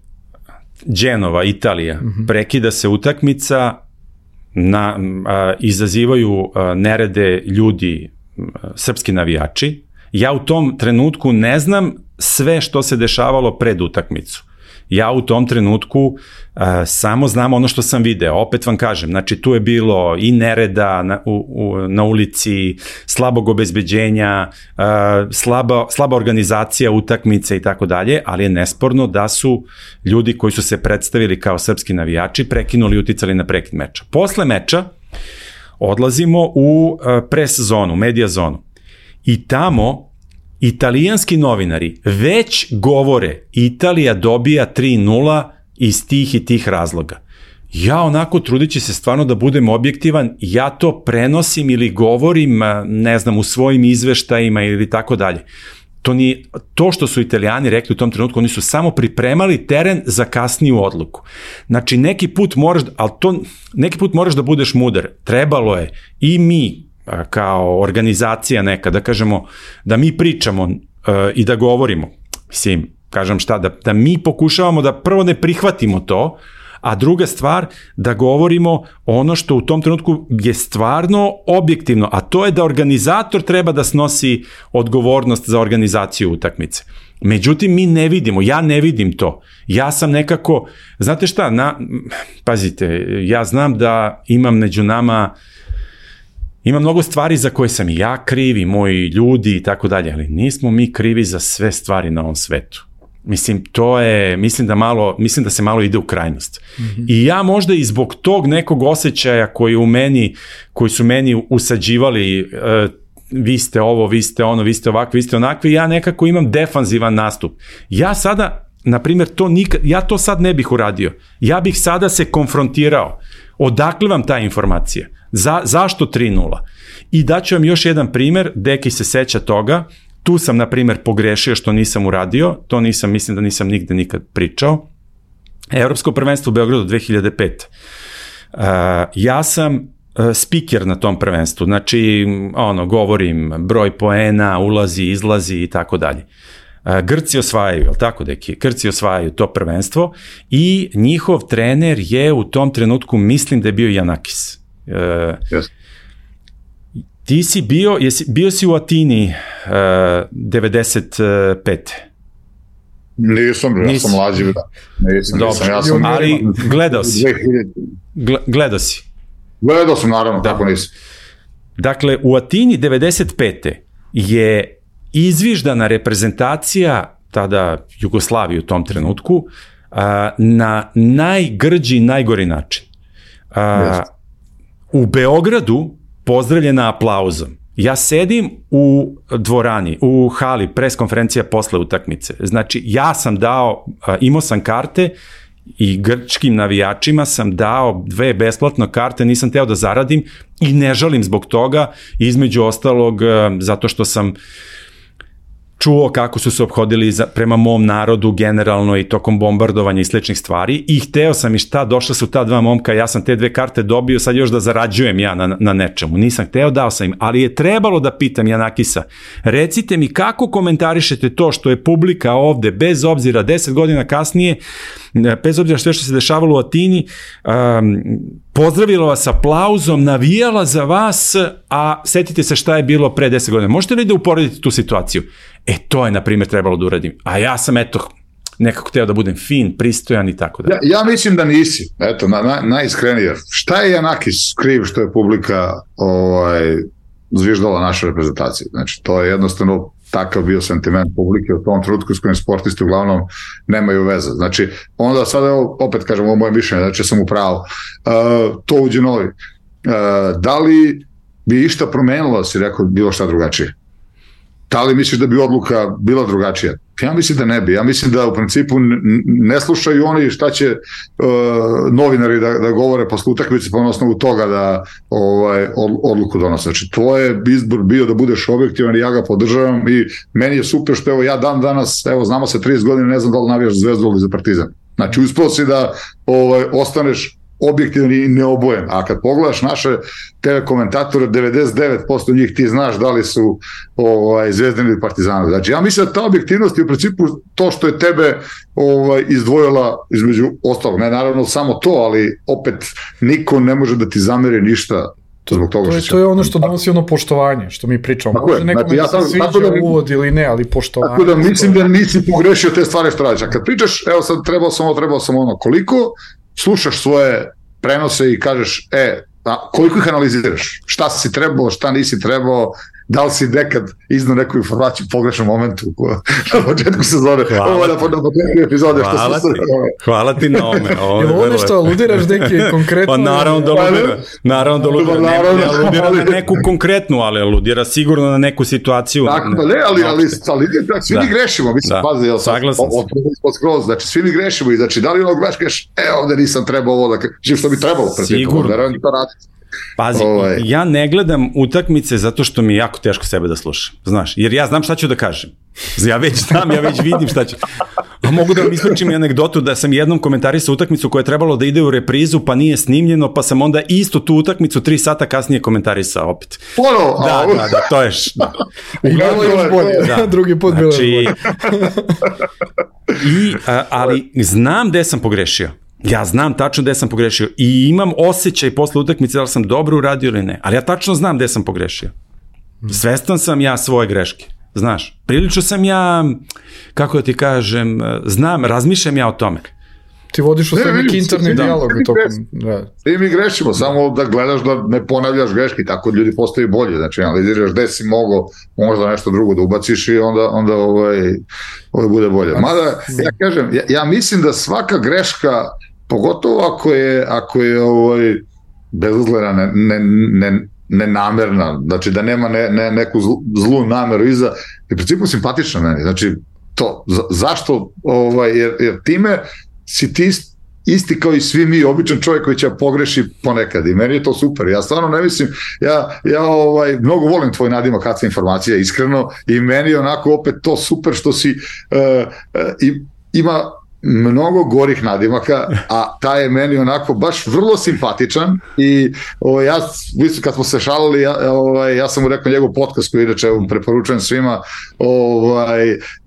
Genova, Italija, prekida se utakmica, izazivaju nerede ljudi, srpski navijači. Ja u tom trenutku ne znam sve što se dešavalo pred utakmicu. Ja u tom trenutku samo znam ono što sam video. Opet vam kažem, znači tu je bilo i nereda na ulici, slabog obezbeđenja, slaba organizacija utakmice i tako dalje, ali je nesporno da su ljudi koji su se predstavili kao srpski navijači prekinuli i uticali na prekid meča. Posle meča odlazimo u pres zonu, medija zonu i tamo italijanski novinari već govore Italija dobija 3-0 iz tih i tih razloga. Ja onako trudići se stvarno da budem objektivan, ja to prenosim ili govorim, ne znam, u svojim izveštajima ili tako dalje. To što su Italijani rekli u tom trenutku, oni su samo pripremali teren za kasniju odluku. Znači neki put moraš da budeš mudar. Trebalo je i mi kao organizacija neka, da kažemo, da mi pričamo i da govorimo, mislim, kažem šta, da mi pokušavamo da prvo ne prihvatimo to, a druga stvar, da govorimo ono što u tom trenutku je stvarno objektivno, a to je da organizator treba da snosi odgovornost za organizaciju utakmice. Međutim, mi ne vidimo, ja ne vidim to. Ja sam nekako, znate šta, pazite, ja znam da imam među nama ima mnogo stvari za koje sam i ja kriv i moji ljudi i tako dalje, ali nismo mi krivi za sve stvari na ovom svetu. Mislim, mislim da se malo ide u krajnost. I ja možda i zbog tog nekog osjećaja koji su meni usađivali, vi ste ovo, vi ste ono, vi ste ovakvi, vi ste onakvi, ja nekako imam defanzivan nastup. Ja sada, na primjer, ja to sad ne bih uradio. Ja bih sada se konfrontirao. Odakle vam ta informacija? Zašto 3-0? I daću vam još jedan primer, Deki se seća toga, tu sam, na primjer, pogrešio što nisam uradio, to mislim da nisam nigde nikad pričao. Evropsko prvenstvo u Beogradu 2005. Ja sam spiker na tom prvenstvu, znači, govorim broj poena, ulazi, izlazi i tako dalje. Grci osvajaju, je li tako, Deki? Grci osvajaju to prvenstvo i njihov trener je u tom trenutku, mislim da je bio Janakis. Yes. Ti si bio si u Atini 95. Nisam, ja sam mlađi. Nisam, ali gledao si. Gledao si. Gledao sam, naravno, tako nisam. Dakle, u Atini 95. je izviždana reprezentacija, tada Jugoslavije u tom trenutku, na najgrđi, najgori način. U Beogradu pozdravljena aplauzom. Ja sedim u dvorani, u hali, pres konferencija posle utakmice. Znači, ja sam dao, imao sam karte i grčkim navijačima sam dao 2 besplatno karte, nisam teo da zaradim i ne žalim zbog toga, između ostalog, zato što sam čuo kako su se ophodili prema mom narodu generalno i tokom bombardovanja i sličnih stvari i hteo sam i šta, došla su ta 2 momka, ja sam te 2 karte dobio, sad još da zarađujem ja na nečemu. Nisam hteo, dao sam im, ali je trebalo da pitam Janakisa, recite mi kako komentarišete to što je publika ovde, bez obzira 10 godina kasnije, bez obzira sve što se dešavalo u Atini, pozdravila vas aplauzom, navijala za vas, a setite se šta je bilo pre 10 godina. Možete li da uporedite tu situaciju? To je, na primjer, trebalo da uradim. A ja sam, nekako hteo da budem fin, pristojan i tako da. Ja mislim da nisi. Najiskrenije. Šta je Janakis kriv što je publika zviždala naše reprezentacije? Znači, to je jednostavno takav bio sentiment publike u tom trenutku s kojim sportisti uglavnom nemaju veze. Znači, onda sad, opet kažem, ovo moje mišljenje, znači sam u pravu. To uđe novi. Da li bi išta promenilo, si rekao, bilo šta drugačije? Da li misliš da bi odluka bila drugačija? Ja mislim da ne bi. Ja mislim da u principu ne slušaju oni šta će novinari da govore posle utakmice pa na osnovu toga da odluku donose. Znači, tvoj izbor bio da budeš objektivan i ja ga podržavam i meni je super što ja dan danas, znamo se 30 godina, ne znam da li navijaš za Zvezdu ili za Partizan. Znači, uspeo si da ostaneš objektivan i neobojen. A kad pogledaš naše TV komentatore, 99% njih ti znaš da li su Zvezdani ili Partizani. Znači, ja mislim da ta objektivnost je u principu to što je tebe izdvojila između ostalog. Ne, naravno, samo to, ali opet niko ne može da ti zameri ništa zbog toga što će. To je ono što donosi ono poštovanje, što mi pričamo. Može nekome da se sviđa uvod ili ne, ali poštovanje. Tako da mislim da nisi pogrešio te stvari što radiš. A kad pričaš, sad trebao sam ono, koliko slušaš svoje prenose i kažeš, koliko ih analiziraš? Šta si trebao, šta nisi trebao, da li si nekad iznao neku informaciju u pogrešnom momentu na početku sezone, ovo na početku epizode. Hvala ti na ome. Je ovo nešto aludiraš neke konkretno? Pa naravno da aludira, ne aludira na neku konkretnu, ali aludira sigurno na neku situaciju. Tako da ne, ali svi mi grešimo, mislim, pazi, saglasan sam. Znači, svi mi grešimo i znači, da li ono greškeš, ovde nisam trebao ovo da kažem, što bi trebalo sigurno. Pazi, ja ne gledam utakmice zato što mi je jako teško sebe da slušam, znaš, jer ja znam šta ću da kažem. Ja već znam, ja već vidim šta ću. A mogu da vam ispričam i anegdotu da sam jednom komentarisao utakmicu koja je trebalo da ide u reprizu, pa nije snimljeno, pa sam onda isto tu utakmicu 3 sata kasnije komentarisao opet. Da, to je... Bilo je još bolje, drugi put bilo je bolje. Ali znam gde sam pogrešio. Ja znam tačno gde sam pogrešio i imam osjećaj posle utakmice da li sam dobro uradio ili ne, ali ja tačno znam gde sam pogrešio. Svestan sam ja svoje greške, znaš. Prilično sam ja, kako da ti kažem, znam, razmišljam ja o tome. Ti vodiš u sve neki interni dijalog. Ti mi grešimo, samo da gledaš da ne ponavljaš greške, tako ljudi postaju bolje, znači analiziraš gde si mogao možda nešto drugo da ubaciš i onda bude bolje. Mada, ja kažem, ja mislim da svaka greška, pogotovo ako je bezazlena, nenamerna, znači da nema neku zlu nameru iza, je u principu simpatična meni, znači to, zašto, jer time si ti isti kao i svi mi, običan čovjek koji će pogreši ponekad i meni je to super, ja stvarno ne mislim, ja mnogo volim tvoj nadimak kad se informacija, iskreno, i meni je onako opet to super što si ima mnogo gorih nadimaka, a taj je meni onako baš vrlo simpatičan i kad smo se šalili, ja sam mu rekao njegov podcast koji inače preporučujem svima,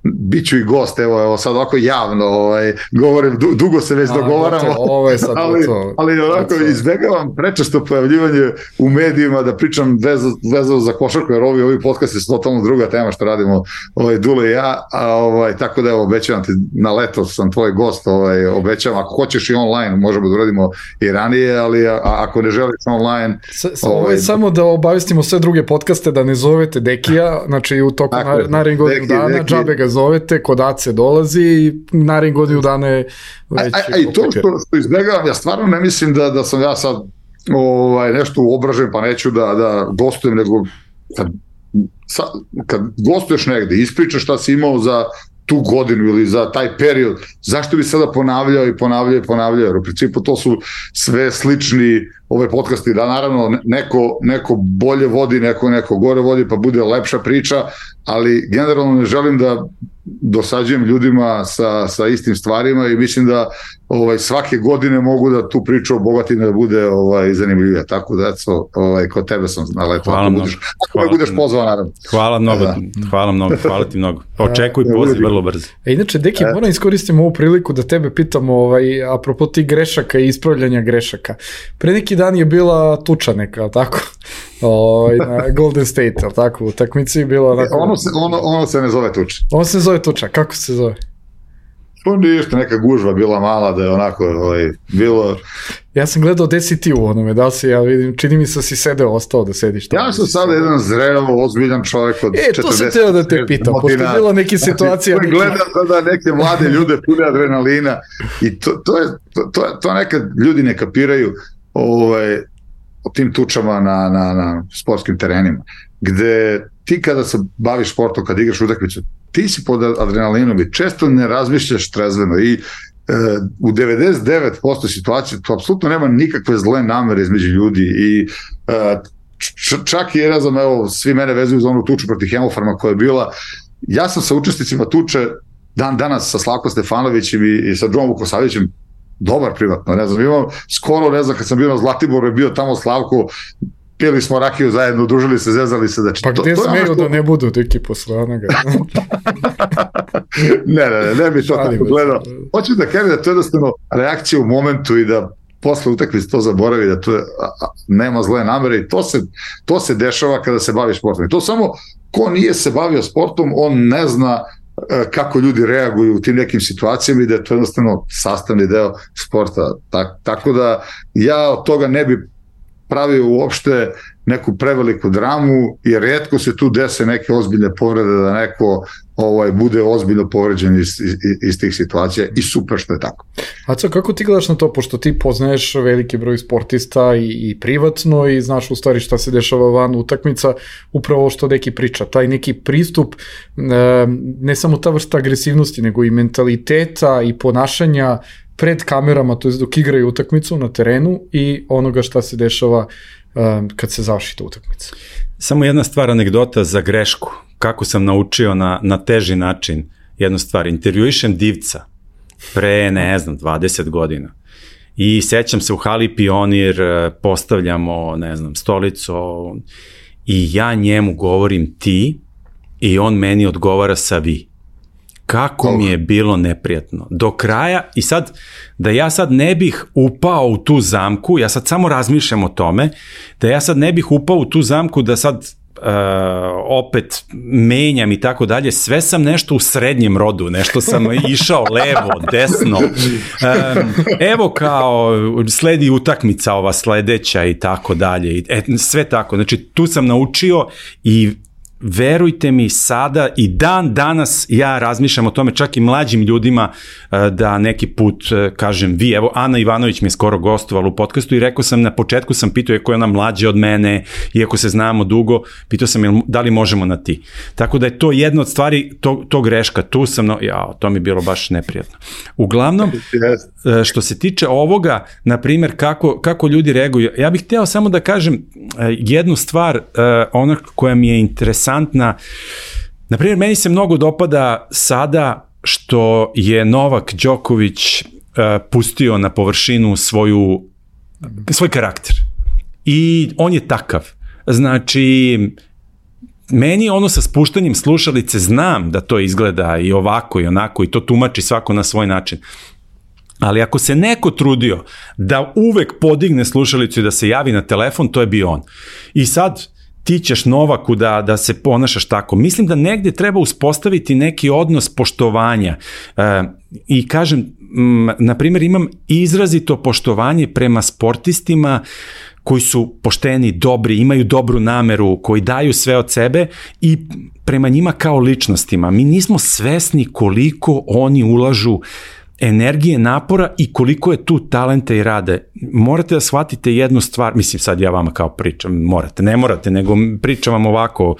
bit ću i gost, evo sad ovako javno govorim, dugo se već dogovaramo, ali onako izbegavam prečesto pojavljivanje u medijima da pričam vezano za košarku, jer ovi podcasti su totalno druga tema što radimo Dule i ja, tako da obećavam ti, na leto sam tvoj gost, obećavam, ako hoćeš i online možemo da uradimo i ranije, ali ako ne želiš online... Samo da obavestimo sve druge podcaste da ne zovete Dekija, znači u toku narednih godinu dana, džabe ga zovete, kod Ace dolazi i narednih godinu dana je već... I to što izbjegavam, ja stvarno ne mislim da sam ja sad nešto uobražen pa neću da gostujem, nego kad gostuješ negde, ispričaš šta si imao za tu godinu ili za taj period, zašto bi sada ponavljao, jer u principu to su sve slični ove podcasti, da naravno neko bolje vodi, neko gore vodi, pa bude lepša priča, ali generalno ne želim da dosađujem ljudima sa istim stvarima i mislim da svake godine mogu da tu priču obogatim da bude zanimljivija. Tako da, kod tebe sam naletao. Hvala mnogo. Ako me budeš pozvao, naravno. Hvala mnogo, hvala ti mnogo. Očekuj poziv vrlo brzo. Inače, Deki, moram iskoristiti ovu priliku da tebe pitam apropo tih grešaka i ispravljanja grešaka. Pre neki dan je bila tuča neka, tako? Na Golden State, tako? U takmici je bila onako... Ono se ne zove tuča. Ono se zove tuča, kako se zove? Ništa, neka gužva bila mala da je onako bilo... Ja sam gledao gde si ti u onome, da li si, ja vidim, čini mi se si ostao da sediš tamo. Ja sam sada jedan zreo, ozbiljan čovjek od 40... to sam teo da te pitam, pošto je bila neke situacije... Gledam sada neke mlade ljude pune adrenalina i to nekad ljudi ne kapiraju o tim tučama na sportskim terenima, gde ti kada se baviš sportom, kada igraš utakmicu, ti si pod adrenalinom i često ne razmišljaš trezveno i u 99% situacije to apsolutno nema nikakve zle namere između ljudi i čak i ne znam, svi mene vezuju za onu tuču protiv Hemofarma koja je bila, ja sam sa učesnicima tuče danas sa Slavkom Stefanovićem i sa Džomom Vukosavićem dobar privatno, ne znam, imam skoro, ne znam, kad sam bio na Zlatiboru je bio tamo Slavko, pili smo rakiju zajedno, družili se, zezali se. Pa gde smeju da ne budu deki posle onoga? Ne bi to tako gledao. Hoću da kažem da to je jednostavno reakcija u momentu i da posle utakmice to zaboravi, da to nema zle namere i to se dešava kada se bavi sportom. I to samo ko nije se bavio sportom, on ne zna kako ljudi reaguju u tim nekim situacijama i da je to jednostavno sastavni deo sporta. Tako da ja od toga ne bi pravio uopšte neku preveliku dramu, jer retko se tu dese neke ozbiljne povrede da neko bude ozbiljno povređen iz tih situacija i super što je tako. Aco, kako ti gledaš na to, pošto ti poznaješ veliki broj sportista i privatno i znaš u stvari šta se dešava van utakmica, upravo što neki priča, taj neki pristup, ne samo ta vrsta agresivnosti, nego i mentaliteta i ponašanja pred kamerama, to je dok igraju utakmicu na terenu i onoga šta se dešava kad se završi ta utakmica. Samo jedna stvar, anegdota za grešku. Kako sam naučio na teži način jednu stvar. Intervjuišem Divca pre, 20 godina. I sećam se u hali Pionir, postavljamo, stolicu i ja njemu govorim ti i on meni odgovara sa vi. Kako mi je bilo neprijatno. Do kraja, i sad, da ja sad ne bih upao u tu zamku, ja sad samo razmišljam o tome, da ja sad ne bih upao u tu zamku, da sad opet menjam i tako dalje, sve sam nešto u srednjem rodu, nešto sam išao levo, desno, evo kao sledi utakmica ova sledeća i tako dalje, sve tako, znači tu sam naučio i verujte mi sada i dan danas ja razmišljam o tome, čak i mlađim ljudima, da neki put kažem vi, evo Ana Ivanović mi je skoro gostovala u podcastu i rekao sam, na početku sam pitao, iako je ona mlađa od mene, iako se znamo dugo, pitao sam da li možemo na ti. Tako da je to jedna od stvari, to greška, tu sam, to mi je bilo baš neprijatno. Uglavnom, što se tiče ovoga, na primjer, kako ljudi reaguju, ja bih hteo samo da kažem jednu stvar, ona koja mi je interesantna. Na primjer, meni se mnogo dopada sada što je Novak Đoković pustio na površinu svoj karakter. I on je takav. Znači, meni ono sa spuštanjem slušalice, znam da to izgleda i ovako i onako i to tumači svako na svoj način. Ali ako se neko trudio da uvek podigne slušalicu i da se javi na telefon, to je bio on. I sad ti ćeš Novaku da se ponašaš tako. Mislim da negde treba uspostaviti neki odnos poštovanja. I kažem, na primjer, imam izrazito poštovanje prema sportistima koji su pošteni, dobri, imaju dobru nameru, koji daju sve od sebe i prema njima kao ličnostima. Mi nismo svesni koliko oni ulažu energije, napora i koliko je tu talenta i rade. Morate da shvatite jednu stvar, mislim sad ja vama kao pričam, ne morate, nego pričam vam ovako.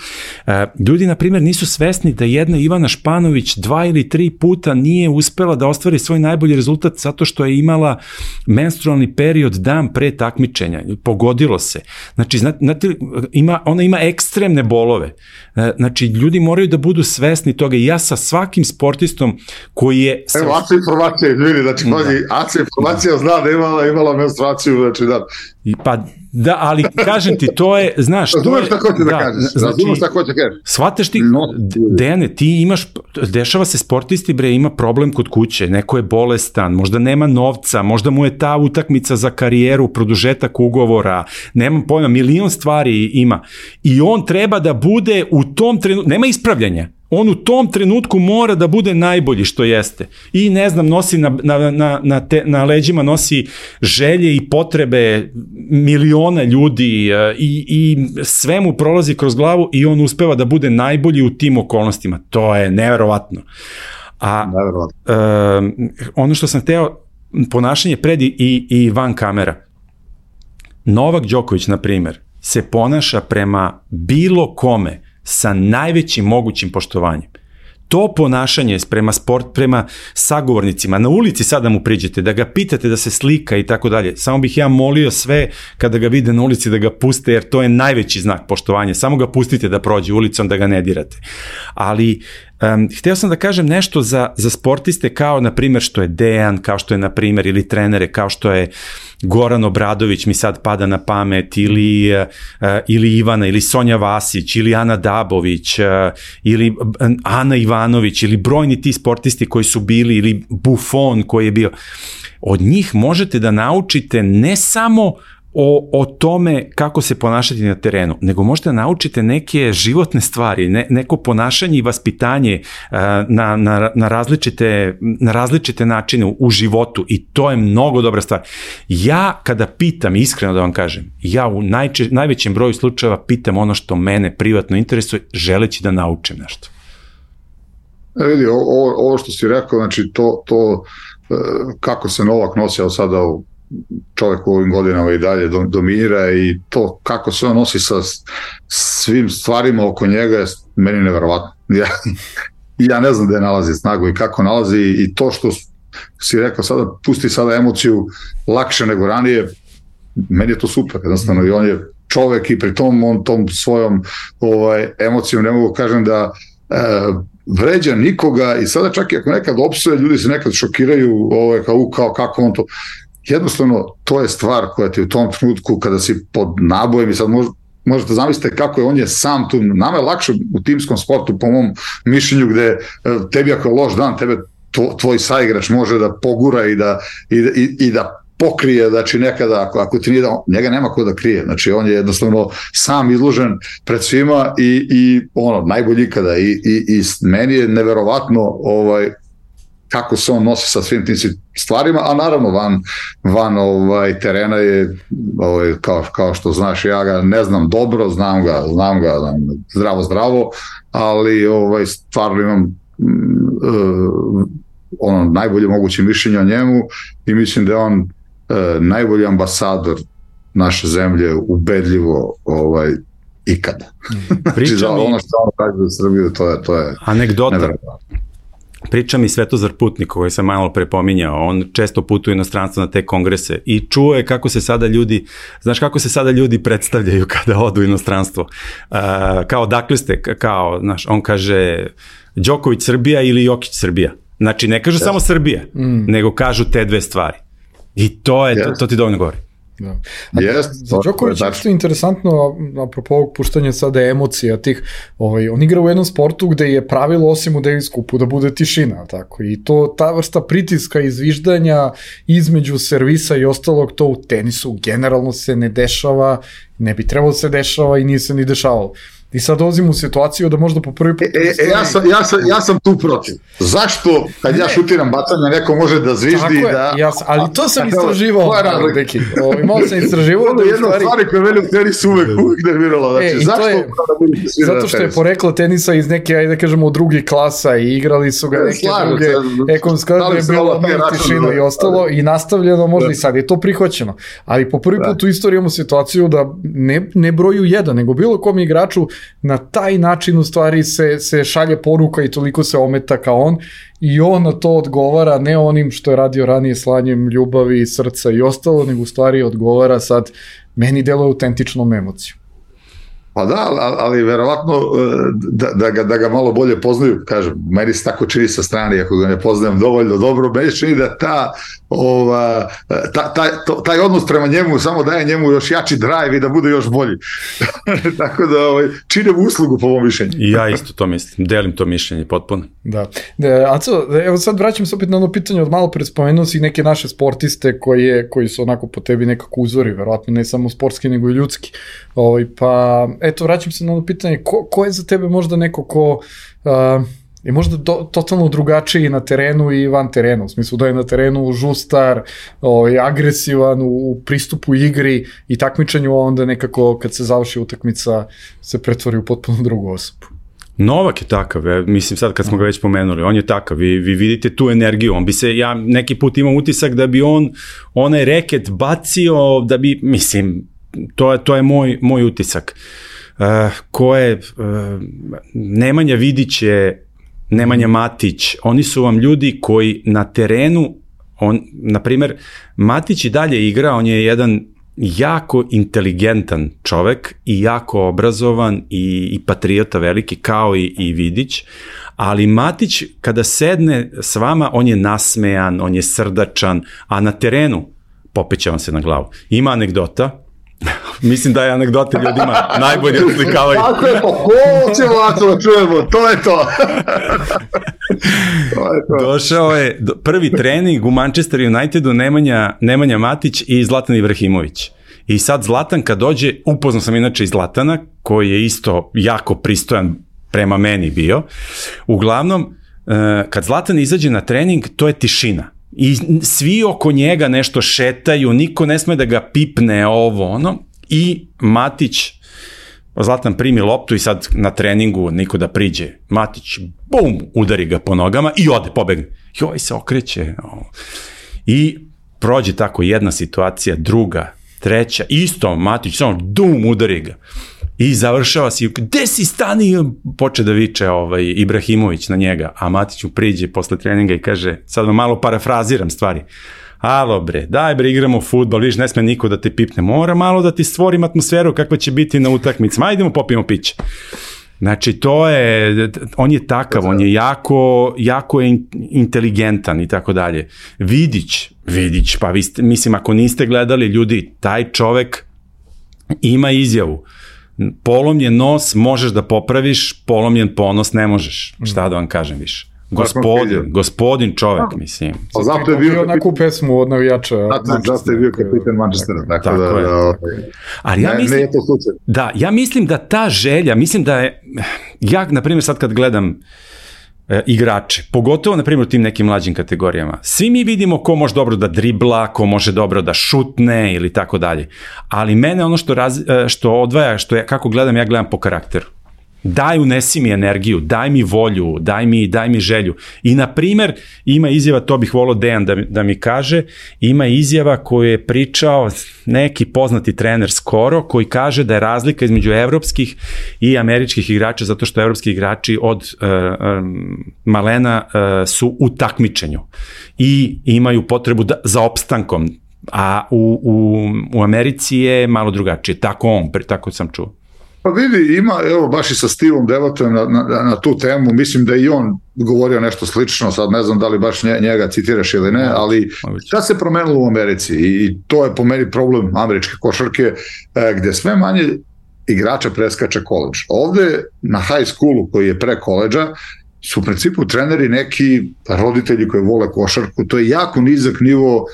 Ljudi, na primjer, nisu svesni da jedna Ivana Španović 2 ili 3 puta nije uspela da ostvari svoj najbolji rezultat zato što je imala menstrualni period dan pre takmičenja. Pogodilo se. Znači, znate, ona ima ekstremne bolove. Znači, ljudi moraju da budu svesni toga i ja sa svakim sportistom koji je... Evo, Aca informacija, ljudi, znači, Aca informacija zna da imala menstruaciju, znači, da. Pa, da, ali kažem ti, to je, znaš... Razumeš šta hoće da kažeš, razumeš šta hoće da kažeš. Shvataš ti, Dejane, ti imaš, dešava se sportisti, bre, ima problem kod kuće, neko je bolestan, možda nema novca, možda mu je ta utakmica za karijeru, produžetak ugovora, nemam pojma, milion stvari ima. I on treba da bude u tom trenutku, nema ispravljanja. On u tom trenutku mora da bude najbolji što jeste. I ne znam, nosi na leđima nosi želje i potrebe miliona ljudi i sve mu prolazi kroz glavu i on uspeva da bude najbolji u tim okolnostima. To je neverovatno. A ono što sam hteo, ponašanje pred i van kamera. Novak Đoković, na primer, se ponaša prema bilo kome sa najvećim mogućim poštovanjem. To ponašanje prema sagovornicima, na ulici sada mu priđete, da ga pitate da se slika i tako dalje, samo bih ja molio sve kada ga vide na ulici da ga puste, jer to je najveći znak poštovanja, samo ga pustite da prođe ulicom, da ga ne dirate. Ali hteo sam da kažem nešto za sportiste kao, na primjer, što je Dejan, kao što je, na primjer, ili trenere, kao što je Goran Obradović, mi sad pada na pamet, ili Ivana, ili Sonja Vasić, ili Ana Dabović, ili Ana Ivanović, ili brojni ti sportisti koji su bili, ili Buffon koji je bio. Od njih možete da naučite ne samo o tome kako se ponašati na terenu, nego možete da naučite neke životne stvari, neko ponašanje i vaspitanje na različite načine u životu i to je mnogo dobra stvar. Ja kada pitam, iskreno da vam kažem, ja u najvećem broju slučajeva pitam ono što mene privatno interesuje, želeći da naučim nešto. Vidi, ovo što si rekao, znači to kako se Novak nosio sada čovjek u ovim godinama i dalje dominira i to kako se on nosi sa svim stvarima oko njega je meni neverovatno. Ja ne znam gde nalazi snagu i kako nalazi i to što si rekao sada, pusti sada emociju lakše nego ranije, meni je to super, jednostavno, i on je čovjek i pri tom on tom svojom emocijom, ne mogu kažem da vređa nikoga i sada čak i ako nekad opsuje, ljudi se nekad šokiraju kao kako on to. Jednostavno, to je stvar koja ti u tom trenutku kada si pod nabojem i sad možete zamisliti kako je on je sam tu. Nama je lakše u timskom sportu, po mom mišljenju, gde tebi ako je loš dan, tebe tvoj saigrač može da pogura i da pokrije, znači nekada, ako ti nije da, njega nema ko da krije, znači on je jednostavno sam izložen pred svima i najbolji ikada i meni je neverovatno kako se on nosi sa svim tim stvarima, a naravno van terena je, kao što znaš, ja ga ne znam dobro, znam ga zdravo, ali stvarno imam najbolje moguće mišljenje o njemu i mislim da je on najbolji ambasador naše zemlje, ubedljivo ikada. Znači, ono što on radi za Srbiju, to je anegdota. Neverovatno. Priča mi Svetozar Putnik, koji sam malo prepominjao, on često putuje u inostranstvo na te kongrese i čuo je kako se sada ljudi predstavljaju kada odu u inostranstvo. Kao dakle ste, on kaže Đoković Srbija ili Jokić Srbija. Znači ne kažu samo Srbija, nego kažu te dve stvari. I to ti dovoljno govori. Da. Za Đoković je što interesantno, apropo ovog puštanja sada emocija tih, on igra u jednom sportu gde je pravilo, osim u Davis Cupu, da bude tišina, tako, i to, ta vrsta pritiska i zviždanja između servisa i ostalog, to u tenisu generalno se ne dešava, ne bi trebalo se dešava i nije se ni dešavalo. I sad dolazim u situaciju da možda po prvi put... Ja sam tu protiv. Zašto kad ja šutiram bacanja neko može da zviždi da... Ali to sam istraživao, Beki. Malo sam istraživao. Ovo je jedna stvari koja meni u tenisu uvek nervirala. Znači, zato što je poreklo tenisa iz neke, ajde da kažemo, drugih klasa i igrali su ga neke druge ekonomske, da je bilo tišina i ostalo i nastavljeno možda i sad je to prihvaćeno. Ali po prvi put u istoriji imamo situaciju da ne broju jedan, nego bilo kom igraču na taj način u stvari se šalje poruka i toliko se ometa kao on i on na to odgovara ne onim što je radio ranije slanjem ljubavi, srca i ostalo, nego u stvari odgovara sad meni deluje autentičnom emocijom. Pa da, ali verovatno da ga malo bolje poznaju, kažem, meni se tako čini sa strane, ako ga ne poznajem dovoljno dobro, meni čini da taj odnos prema njemu samo daje njemu još jači drive i da bude još bolji. Tako da čine mu uslugu po mom mišljenju. I ja isto to mislim, delim to mišljenje potpuno. Da. Aco, evo sad vraćam se opet na ono pitanje od malo pre spomenuo si neke naše sportiste koji su onako po tebi nekako uzori, verovatno ne samo sportski nego i ljudski. Pa eto, vraćam se na ono pitanje, ko je za tebe možda neko ko je možda totalno drugačiji na terenu i van terena, u smislu da je na terenu žustar, agresivan u pristupu igri i takmičenju, a onda nekako kad se završi utakmica se pretvori u potpuno drugu osobu. Novak je takav, mislim sad kad smo ga već pomenuli, on je takav, vi vidite tu energiju, on bi se, ja neki put imam utisak da bi onaj reket bacio, da bi, mislim, to je moj utisak. Ko je Nemanja Vidić, Nemanja Matić, oni su vam ljudi koji na terenu, na primer, Matić i dalje igra, on je jedan jako inteligentan čovek i jako obrazovan i patriota veliki kao i Vidić, ali Matić kada sedne s vama, on je nasmejan, on je srdačan, a na terenu popeće vam se na glavu. Ima anegdota, mislim da je anegdote ljudima najbolje oslikavaju. Tako je, ko ćemo da čujemo, to je to. Došao je prvi trening u Manchester Unitedu Nemanja Matić i Zlatan Ibrahimović. I sad Zlatan kad dođe, upoznao sam inače i Zlatana, koji je isto jako pristojan prema meni bio. Uglavnom, kad Zlatan izađe na trening, to je tišina. I svi oko njega nešto šetaju, niko ne sme da ga pipne i Matić, Zlatan primi loptu i sad na treningu niko da priđe, Matić bum, udari ga po nogama i ode, pobegne, joj se okreće i prođe tako jedna situacija, druga, treća, isto Matić samo dum, udari ga i završava si, gde si stani, poče da viče Ibrahimović na njega, a Matić mu priđe posle treninga i kaže, sad vam malo parafraziram stvari, alo bre, daj bre, igramo fudbal, vidiš, ne sme niko da te pipne, mora malo da ti stvorim atmosferu kakva će biti na utakmicama, ajdemo popijemo piće. Znači, on je takav, on je jako inteligentan i tako dalje. Vidić, pa mislim, ako niste gledali ljudi, taj čovek ima izjavu, polomljen nos možeš da popraviš, polomljen ponos ne možeš, šta da vam kažem više. Gospodin čovek, mislim. Zato je bio onako pesmu od navijača. Zato je bio kapitan Manchestera. Tako da, ali ja mislim da ta želja, mislim da je, ja, na primjer, sad kad gledam igrače, pogotovo, na primjer, u tim nekim mlađim kategorijama, svi mi vidimo ko može dobro da dribla, ko može dobro da šutne ili tako dalje, ali mene ono što odvaja, kako gledam, ja gledam po karakteru. Daj, unesi mi energiju, daj mi volju, daj mi želju. I, na primer, ima izjava, to bih volao Dejan da mi kaže, ima izjava koju je pričao neki poznati trener skoro, koji kaže da je razlika između evropskih i američkih igrača, zato što evropski igrači od malena su u takmičenju i imaju potrebu za opstankom, a u Americi je malo drugačije, tako sam čuo. Pa vidi, ima, evo, baš i sa Stevom debatujem na tu temu, mislim da i on govorio nešto slično, sad ne znam da li baš njega citiraš ili ne, ali šta se promenilo u Americi i to je po meni problem američke košarke, gde sve manje igrača preskače koledž. Ovde na high schoolu koji je pre koledža su u principu treneri neki roditelji koji vole košarku, to je jako nizak nivo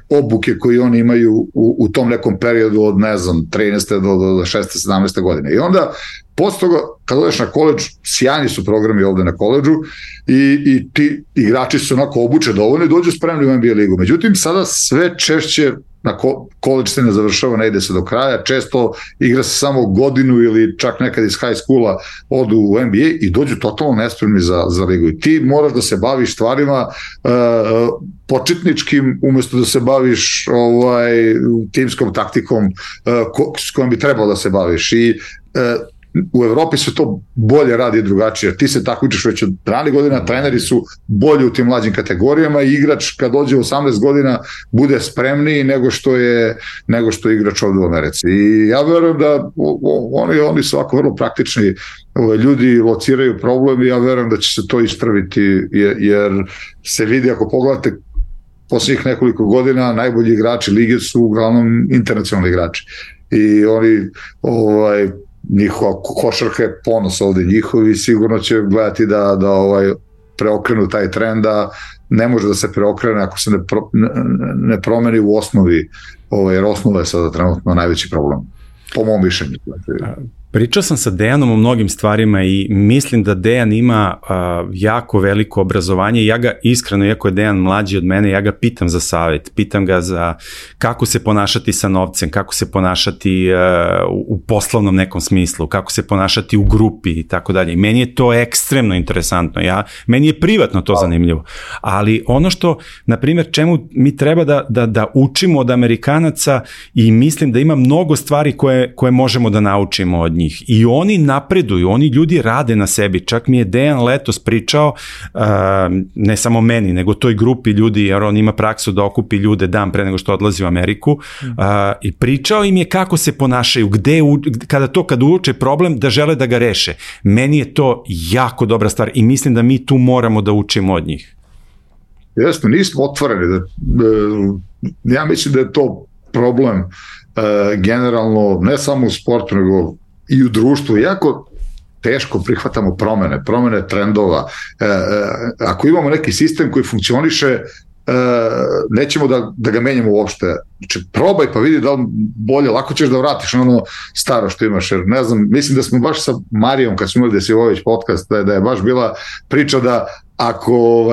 obuke koje oni imaju u tom nekom periodu od, ne znam, 13. do 16. 17. godine. I onda, posle toga, kad odeš na koleđ, sjajni su programi ovde na koleđu i ti igrači su onako obuče dovoljno i dođu spremni u NBA ligu. Međutim, sada sve češće na koleđ se ne završava, ne ide se do kraja, često igra se samo godinu ili čak nekad iz high schoola odu u NBA i dođu totalno nespremni za ligu. I ti moraš da se baviš stvarima početničkim umesto da se baviš timskom taktikom s kojom bi trebalo da se baviš. I u Evropi se to bolje radi i drugačije. Ti se takmičiš već od ranih godina, treneri su bolji u tim mlađim kategorijama i igrač kad dođe u 18 godina bude spremniji nego što je igrač ovde u Americi. I ja verujem da oni su ovako vrlo praktični ljudi, lociraju problem i ja verujem da će se to ispraviti jer se vidi, ako pogledate posljednjih nekoliko godina, najbolji igrači lige su uglavnom internacionalni igrači. I oni njihova košarka je ponos ovde njihovi, sigurno će gledati da preokrenu taj trend, da ne može da se preokrene ako se ne promeni u osnovi, jer osnova je sada trenutno najveći problem, po mom mišljenju. Pričao sam sa Dejanom o mnogim stvarima i mislim da Dejan ima jako veliko obrazovanje i ja ga iskreno, iako je Dejan mlađi od mene, ja ga pitam za savjet, pitam ga za kako se ponašati sa novcem, kako se ponašati u poslovnom nekom smislu, kako se ponašati u grupi i tako dalje. I meni je to ekstremno interesantno, meni je privatno to zanimljivo, ali ono što, na primjer, čemu mi treba da učimo od Amerikanaca i mislim da ima mnogo stvari koje možemo da naučimo od njih. I oni napreduju, oni ljudi rade na sebi. Čak mi je Dejan letos pričao, ne samo meni, nego toj grupi ljudi, jer on ima praksu da okupi ljude dan pre nego što odlazi u Ameriku, i pričao im je kako se ponašaju, kada uoče problem da žele da ga reše. Meni je to jako dobra stvar i mislim da mi tu moramo da učimo od njih. Jasno, nismo otvoreni. Ja mislim da je to problem generalno, ne samo u sportu, nego i u društvu. Jako teško prihvatamo promene trendova. Ako imamo neki sistem koji funkcioniše, nećemo da ga menjamo uopšte. Znači, probaj pa vidi da li bolje, lako ćeš da vratiš ono staro što imaš. Jer ne znam, mislim da smo baš sa Marijom, kad smo imali Desivojević podcast, da je baš bila priča da ako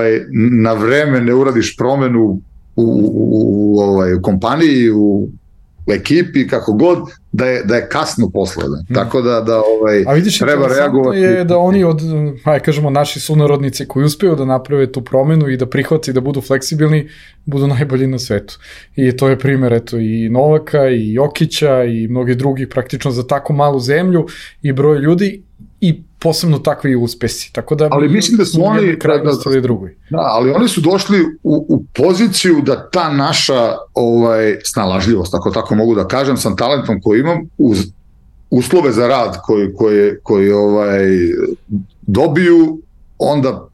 na vreme ne uradiš promenu u kompaniji, u ekipi, kako god, da je kasno posle. Tako da a vidiš, treba reagovati. Je da oni kažemo, naši sunarodnici koji uspeju da naprave tu promenu i da prihvati, da budu fleksibilni, budu najbolji na svetu. I to je primjer, i Novaka, i Jokića, i mnogi drugi, praktično za tako malu zemlju i broj ljudi, i posebno takvi uspesi. Tako da, ali mislim da su oni ali oni su došli u poziciju da ta naša snalažljivost, ako tako mogu da kažem, sa talentom koji imam, uz uslove za rad koji dobiju, onda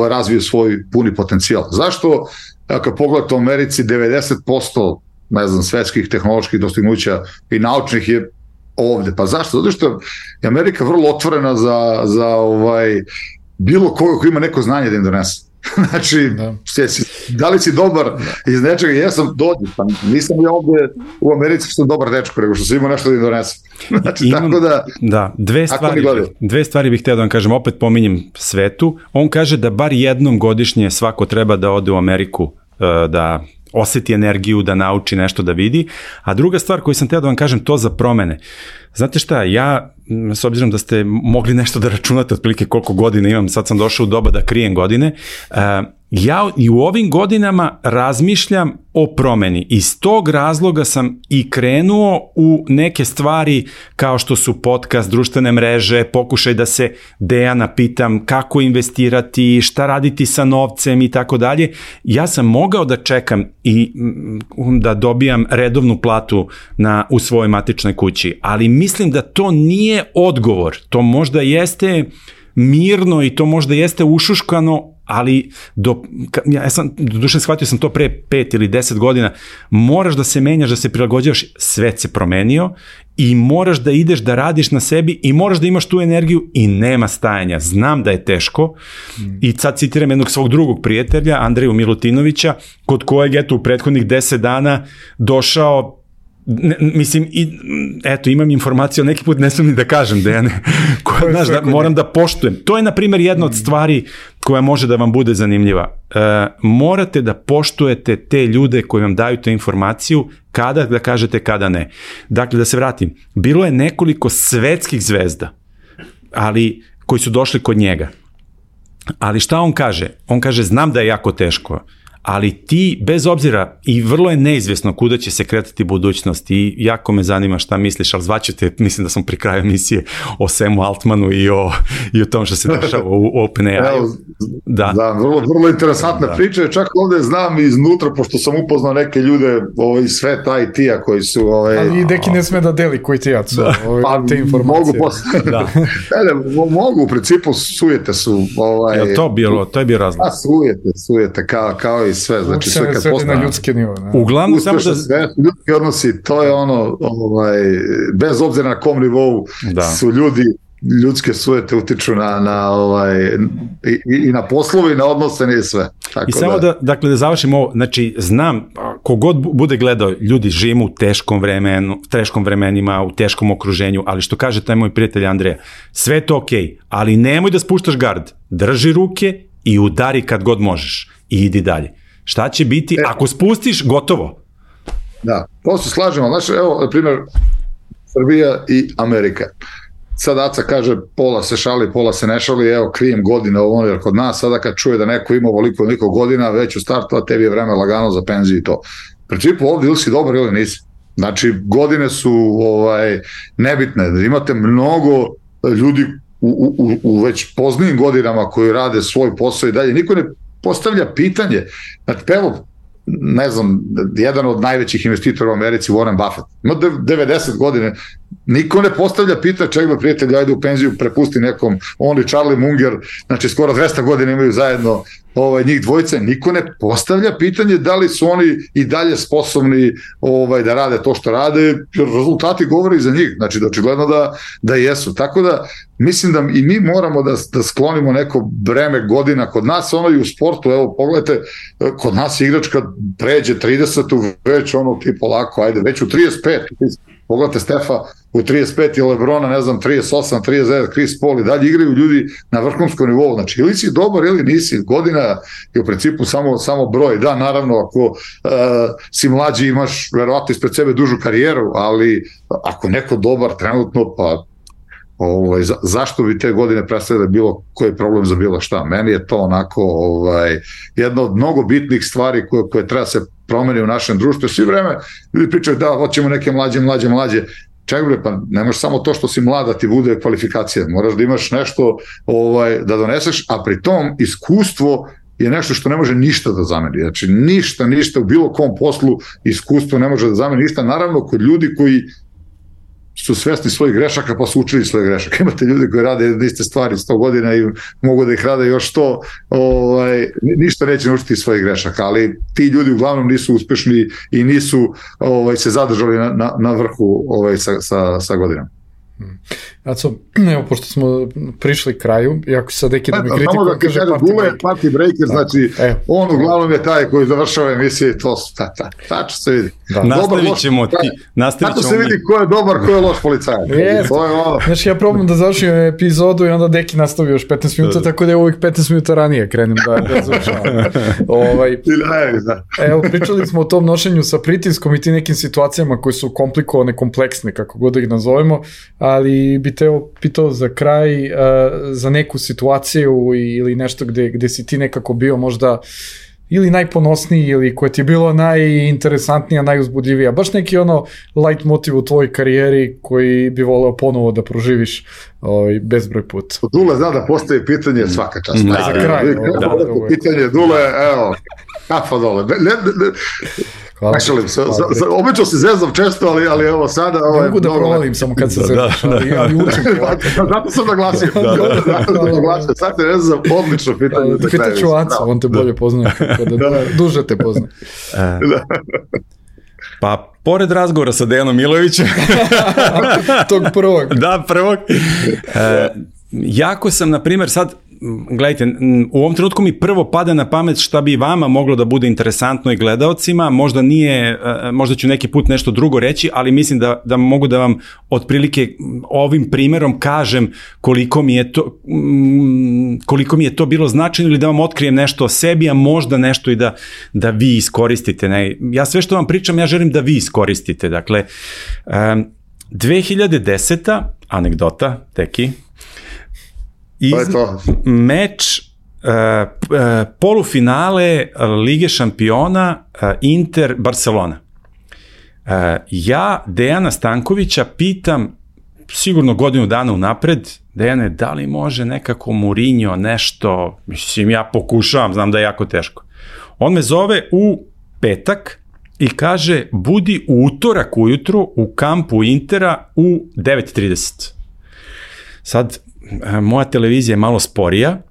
razviju svoj puni potencijal. Zašto? Ako pogledate u Americi, 90% svetskih tehnoloških dostignuća i naučnih je ovde. Pa zašto? Zato što je Amerika vrlo otvorena za bilo koga ko ima neko znanje da im donese. Znači, da li si dobar iz nečega? Jesam, dođi, pa nisam ja ovde u Americi što sam dobar dečko, nego što sam imao nešto da im donese. Znači, tako da... Dve stvari bih htio da vam kažem, opet pominjem Svetu. On kaže da bar jednom godišnje svako treba da ode u Ameriku, da oseti energiju, da nauči nešto, da vidi. A druga stvar koju sam htio da vam kažem, to za promene. Znate šta, ja, s obzirom da ste mogli nešto da računate otprilike koliko godina imam, sad sam došao u doba da krijem godine, ja i u ovim godinama razmišljam o promeni. Iz tog razloga sam i krenuo u neke stvari kao što su podcast, društvene mreže, pokušaj da se Dejana pitam kako investirati, šta raditi sa novcem i tako dalje. Ja sam mogao da čekam i da dobijam redovnu platu u svojoj matičnoj kući, ali mislim da to nije odgovor. To možda jeste mirno i to možda jeste ušuškano, ali ja sam, doduše shvatio sam to pre 5 ili 10 godina, moraš da se menjaš, da se prilagođavaš, svet se promenio i moraš da ideš da radiš na sebi i moraš da imaš tu energiju i nema stajanja. Znam da je teško i sad citiram jednog svog drugog prijatelja, Andreju Milutinovića, kod kojeg eto u prethodnih 10 dana došao, mislim, eto, imam informaciju, neki put ne smijem ni da kažem, Dejane, znaš, da moram da poštujem. To je, na primjer, jedna od stvari koja može da vam bude zanimljiva. Morate da poštujete te ljude koji vam daju tu informaciju, kada da kažete, kada ne. Dakle, da se vratim, bilo je nekoliko svetskih zvezda, ali koji su došli kod njega. Ali šta on kaže? On kaže, znam da je jako teško, ali ti, bez obzira, i vrlo je neizvjesno kuda će se kretati budućnost i jako me zanima šta misliš, ali zvaću te, mislim da sam pri kraju emisije o Samu Altmanu i o tom što se dešava u OpenAI. Da, vrlo interesantna priča, čak ovde znam iznutra, pošto sam upoznao neke ljude iz sveta IT-a koji su... Ali i Deki ne sme da deli koji ti jacu te informacije. Mogu, u principu sujete su... To je bio razlog. Sujete, kao i sve, znači sve kad postane na ljudske nivo. Uglavnom samo da ljudski odnosi, to je ono bez obzira na kom nivou su ljudi, ljudske sujete utiču i na poslovi i na odnose i sve. Tako i samo da završim ovo, znači znam, kogod bude gledao, ljudi živimo u teškom vremenima, u teškom okruženju, ali što kaže taj moj prijatelj Andreja, sve je to okej, ali nemoj da spuštaš gard, drži ruke i udari kad god možeš i idi dalje. Šta će biti ako spustiš, gotovo? Da, to se slažemo. Znači, evo, na primjer, Srbija i Amerika. Sad Aca kaže, pola se šali, pola se ne šali, evo, krijem godine ovo, jer kod nas sada kad čuje da neko ima ovoliko godina, već u startu, a tebi je vreme lagano za penziju i to. U principu ovdje ili si dobar ili nisi. Znači, godine su nebitne. Imate mnogo ljudi u već poznijim godinama koji rade svoj posao i dalje. Niko ne postavlja pitanje. Znači, evo, ne znam, jedan od najvećih investitora u Americi, Warren Buffett, ima 90 godine, niko ne postavlja pitanje, čekaj prijatelj, ajde u penziju, prepusti nekom, on i Charlie Munger, znači skoro 200 godina imaju zajedno njih dvojice, niko ne postavlja pitanje da li su oni i dalje sposobni da rade to što rade, jer rezultati govore za njih, znači da očigledno da jesu, tako da mislim da i mi moramo da sklonimo neko breme godina kod nas, i u sportu, evo pogledajte, kod nas igračka pređe 30, već ti polako, ajde, već u 35, pogledajte Stefa u 35 i Lebrona, ne znam, 38, 39, Chris Paul i dalje igraju ljudi na vrhunskom nivou, znači ili si dobar ili nisi, godina je u principu samo broj, da, naravno, ako si mlađi imaš verovatno ispred sebe dužu karijeru, ali ako neko dobar trenutno, pa zašto bi te godine predstavljali bilo koji problem za bilo šta? Meni je to onako jedna od mnogo bitnih stvari koje treba se promeni u našem društvu. Svi vreme ljudi pričaju da hoćemo neke mlađe. Čekaj bre, pa ne možeš samo to što si mlada ti bude kvalifikacija. Moraš da imaš nešto da doneseš, a pri tom iskustvo je nešto što ne može ništa da zameni. Znači ništa u bilo kom poslu iskustvo ne može da zameni ništa. Naravno kod ljudi koji su svesni svojih grešaka pa su učili svoje grešaka. Imate ljudi koji rade iste stvari 100 godina i mogu da ih rade još 100, ništa neće naučiti svojih grešaka, ali ti ljudi uglavnom nisu uspešni i nisu se zadržali na vrhu sa godinama. Aco, evo, pošto smo prišli kraju, iako sad neki da mi kritiku... Samo da kaže, Dule je party breaker, znači on uglavnom je taj koji završava emisije i to tačno se vidi. Nastavit ćemo ti. Tako se vidi ko je dobar, ko je loš policajac. Znači, ja probam da završim epizodu i onda Deki nastavi još 15 minuta, tako da je ovih 15 minuta ranije krenem da završavam. Evo, pričali smo o tom nošenju sa pritiskom i ti nekim situacijama koje su komplikovane, kompleksne, kako god da ih nazovemo, ali bi te pitao za kraj za neku situaciju ili nešto gde si ti nekako bio možda ili najponosniji ili koje ti je bilo najinteresantnija, najuzbudljivija, baš neki light motiv u tvojoj karijeri koji bi voleo ponovo da proživiš bezbroj put. Dule zna da postaje pitanje svaka čast. Za kraj. Pitanje Dule, evo, kafa dole. Hvala. Obično se zezam često, ali evo sada... Ne mogu da provalim samo kad se zezaš, ali učim. Zato sam naglasio. Sad te zezam, odlično pitanje. Da pitaću Aca, on te bolje poznaje, duže te poznaje. Pa, pored razgovora sa Dejanom Milojevićem... Tog prvog. Da, prvog. Jako sam, na primjer, sad, gledajte, u ovom trenutku mi prvo pada na pamet šta bi vama moglo da bude interesantno i gledaocima, možda ću neki put nešto drugo reći, ali mislim da mogu da vam otprilike ovim primjerom kažem koliko mi je to bilo značajno ili da vam otkrijem nešto o sebi, a možda nešto i da vi iskoristite. Ja sve što vam pričam, ja želim da vi iskoristite. Dakle, 2010. anegdota, teki, meč polufinale Lige šampiona Inter Barcelona. Ja Dejana Stankovića pitam sigurno godinu dana unapred, Dejane, da li može nekako Mourinho nešto, mislim ja pokušavam, znam da je jako teško. On me zove u petak i kaže budi u utorak ujutru u kampu Intera u 9:30. Sad, moja televizija je malo sporija,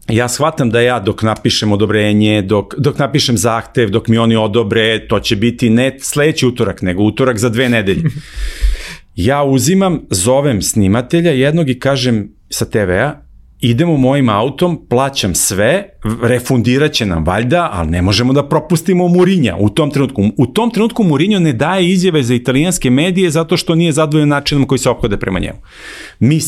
ja shvatam da ja dok napišem odobrenje, dok napišem zahtev, dok mi oni odobre, to će biti ne sledeći utorak, nego utorak za 2 nedelje. Ja zovem snimatelja jednog i kažem sa TV-a, idemo mojim autom, plaćam sve, refundirat će nam valjda, ali ne možemo da propustimo Mourinha u tom trenutku. U tom trenutku Mourinho ne daje izjave za italijanske medije zato što nije zadovoljan načinom koji se ophode prema njemu. Mi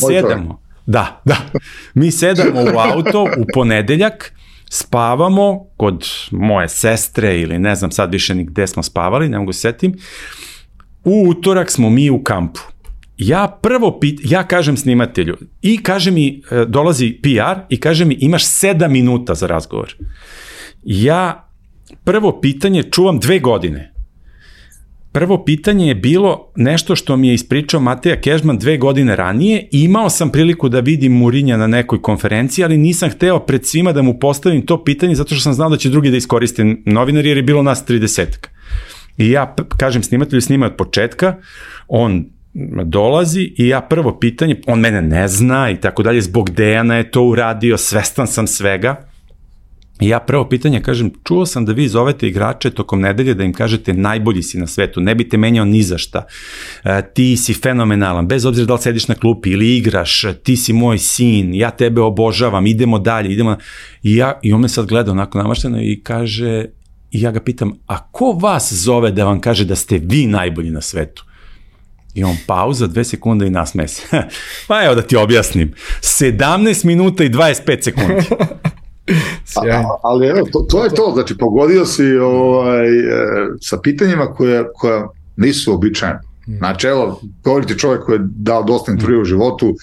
sedamo u auto u ponedeljak, spavamo kod moje sestre ili ne znam sad više ni gde smo spavali, ne mogu se setim. U utorak smo mi u kampu. Ja kažem snimatelju i kaže mi, dolazi PR i kaže mi imaš 7 minuta za razgovor. Ja prvo pitanje čuvam 2 godine. Prvo pitanje je bilo nešto što mi je ispričao Mateja Kežman 2 godine ranije i imao sam priliku da vidim Mourinha na nekoj konferenciji, ali nisam hteo pred svima da mu postavim to pitanje zato što sam znao da će drugi da iskoriste novinari jer je bilo nas 30. I ja kažem snimatelju, snima od početka, on dolazi i ja prvo pitanje, on mene ne zna i tako dalje, zbog Dejana je to uradio, svestan sam svega. I ja prvo pitanje kažem, čuo sam da vi zovete igrače tokom nedelje da im kažete najbolji si na svetu, ne bi te menjao ni za šta, ti si fenomenalan, bez obzira da li sediš na klupi ili igraš, ti si moj sin, ja tebe obožavam, idemo dalje, I on me sad gleda onako namašteno i kaže, i ja ga pitam, a ko vas zove da vam kaže da ste vi najbolji na svetu? I on pauza, 2 sekunde i nasmeje se. Pa evo da ti objasnim. 17 minuta i 25 sekundi. Ali evo, to je to. Znači, pogodio si sa pitanjima koja nisu običajne. Znači, evo, govoriti čovjek koji je dao dosta intervjua u životu,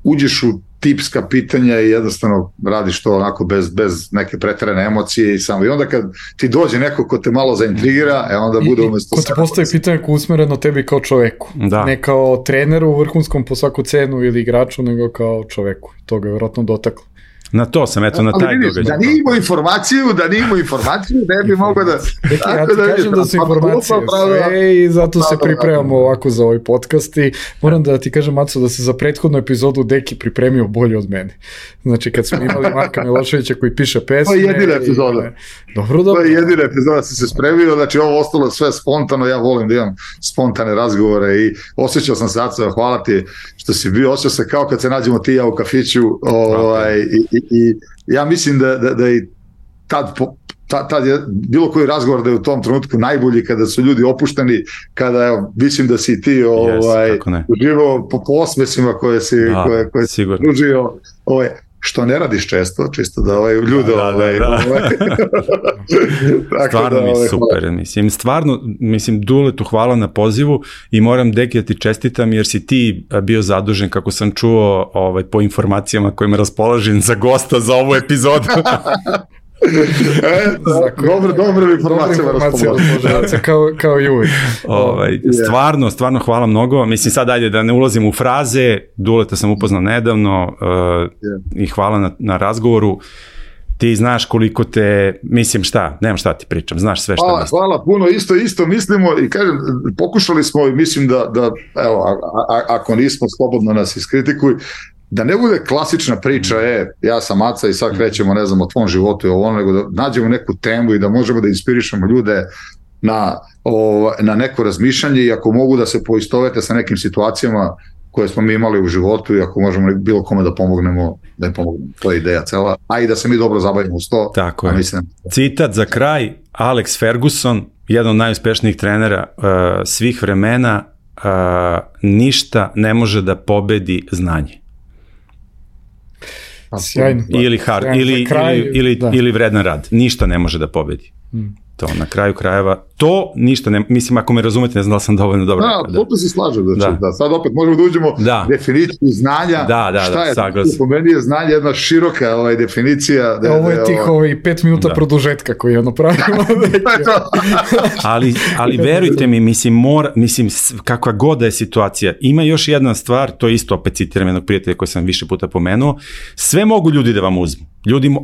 uđeš u tipska pitanja i jednostavno radiš to onako bez neke preterane emocije i onda kad ti dođe neko ko te malo zaintrigira, onda bude umesto... Ko ti postavi pitanje ko usmereno tebi kao čoveku, ne kao treneru vrhunskom po svaku cenu ili igraču, nego kao čoveku. To ga je vjerojatno dotaklo. Na to sam, eto, na taj događaj. Da nije imao informaciju, ne bi mogao da... Ja ti kažem da su informacije sve i zato se pripremamo ovako za ovaj podcast i moram da ti kažem, Maco, da se za prethodnu epizodu Deki pripremio bolje od mene. Znači, kad smo imali Marka Miloševića koji piše pesme... To je jedina epizoda. Dobro. To je jedina epizoda, si se spremio, znači ovo ostalo sve spontano, ja volim da imam spontane razgovore i osjećao sam se, Aco, hvala ti što si bio, osjećao se kao kad se nađemo ti ja u kafiću i ja mislim da i tad je bilo koji razgovor da je u tom trenutku najbolji kada su ljudi opušteni, kada mislim da si ti uživao po osmesima koje si pružio, što ne radiš često, čisto da ljude... Stvarno mi je super, mislim, Duletu hvala na pozivu i moram, Deki, da ti čestitam jer si ti bio zadužen, kako sam čuo, po informacijama kojima raspolažem za gosta za ovu epizodu. Dobro informacija raspolažem. Kao i uvijek. Stvarno hvala mnogo. Mislim, sad ajde da ne ulazim u fraze, Duleta sam upoznao nedavno i hvala na razgovoru. ti znaš koliko te, mislim nemam šta ti pričam, znaš sve šta mislim. Hvala puno, isto mislimo i kažem, pokušali smo i mislim da evo, ako nismo, slobodno nas iskritikuj, da ne bude klasična priča, ja sam Aca i sad krećemo, ne znam, o tvom životu i ovo, nego da nađemo neku temu i da možemo da inspirišemo ljude na neko razmišljanje i ako mogu da se poistovete sa nekim situacijama koje smo mi imali u životu i ako možemo bilo kome da pomognemo, to je ideja cela, a i da se mi dobro zabavimo uz to. Tako je. Citat za kraj, Alex Ferguson, jedan od najuspešnijih trenera svih vremena, ništa ne može da pobedi znanje. Sjajno. Ili vredan rad. Ništa ne može da pobedi. To na kraju krajeva, to ništa ne, mislim ako me razumete, ne znam da li sam dovoljno dobro. To se slažem, da. Sad opet možemo da uđemo definiciju znanja, šta je, po meni je znanje jedna široka definicija. Ovo je tih 5 minuta produžetka koji pravimo. ali verujte mi, mislim, kakva god da je situacija, ima još jedna stvar, to isto opet citiram jednog prijatelja koji sam više puta pomenuo, sve mogu ljudi da vam uzmu,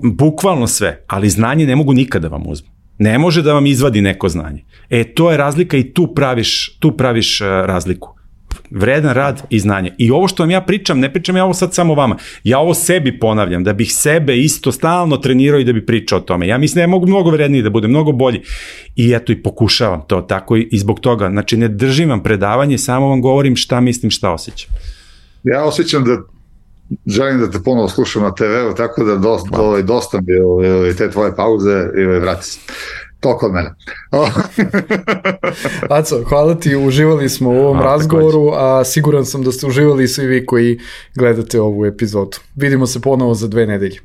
bukvalno sve, ali znanje ne mogu nikada da vam uzmu. Ne može da vam izvadi neko znanje. To je razlika i tu praviš razliku. Vredan rad i znanje. I ovo što vam ja pričam, ne pričam ja ovo sad samo vama. Ja ovo sebi ponavljam, da bih sebe isto stalno trenirao i da bih pričao o tome. Ja mislim da ja mogu mnogo vredniji, da budem mnogo bolji. I eto i pokušavam to tako i zbog toga. Znači ne držim vam predavanje, samo vam govorim šta mislim, šta osjećam. Ja osjećam da želim da te ponovo slušam na TV-u, tako da dosta mi te tvoje pauze i vrati se. Toliko od mene. Aco, hvala ti, uživali smo u ovom razgovoru, a siguran sam da ste uživali svi vi koji gledate ovu epizodu. Vidimo se ponovo za 2 nedelje.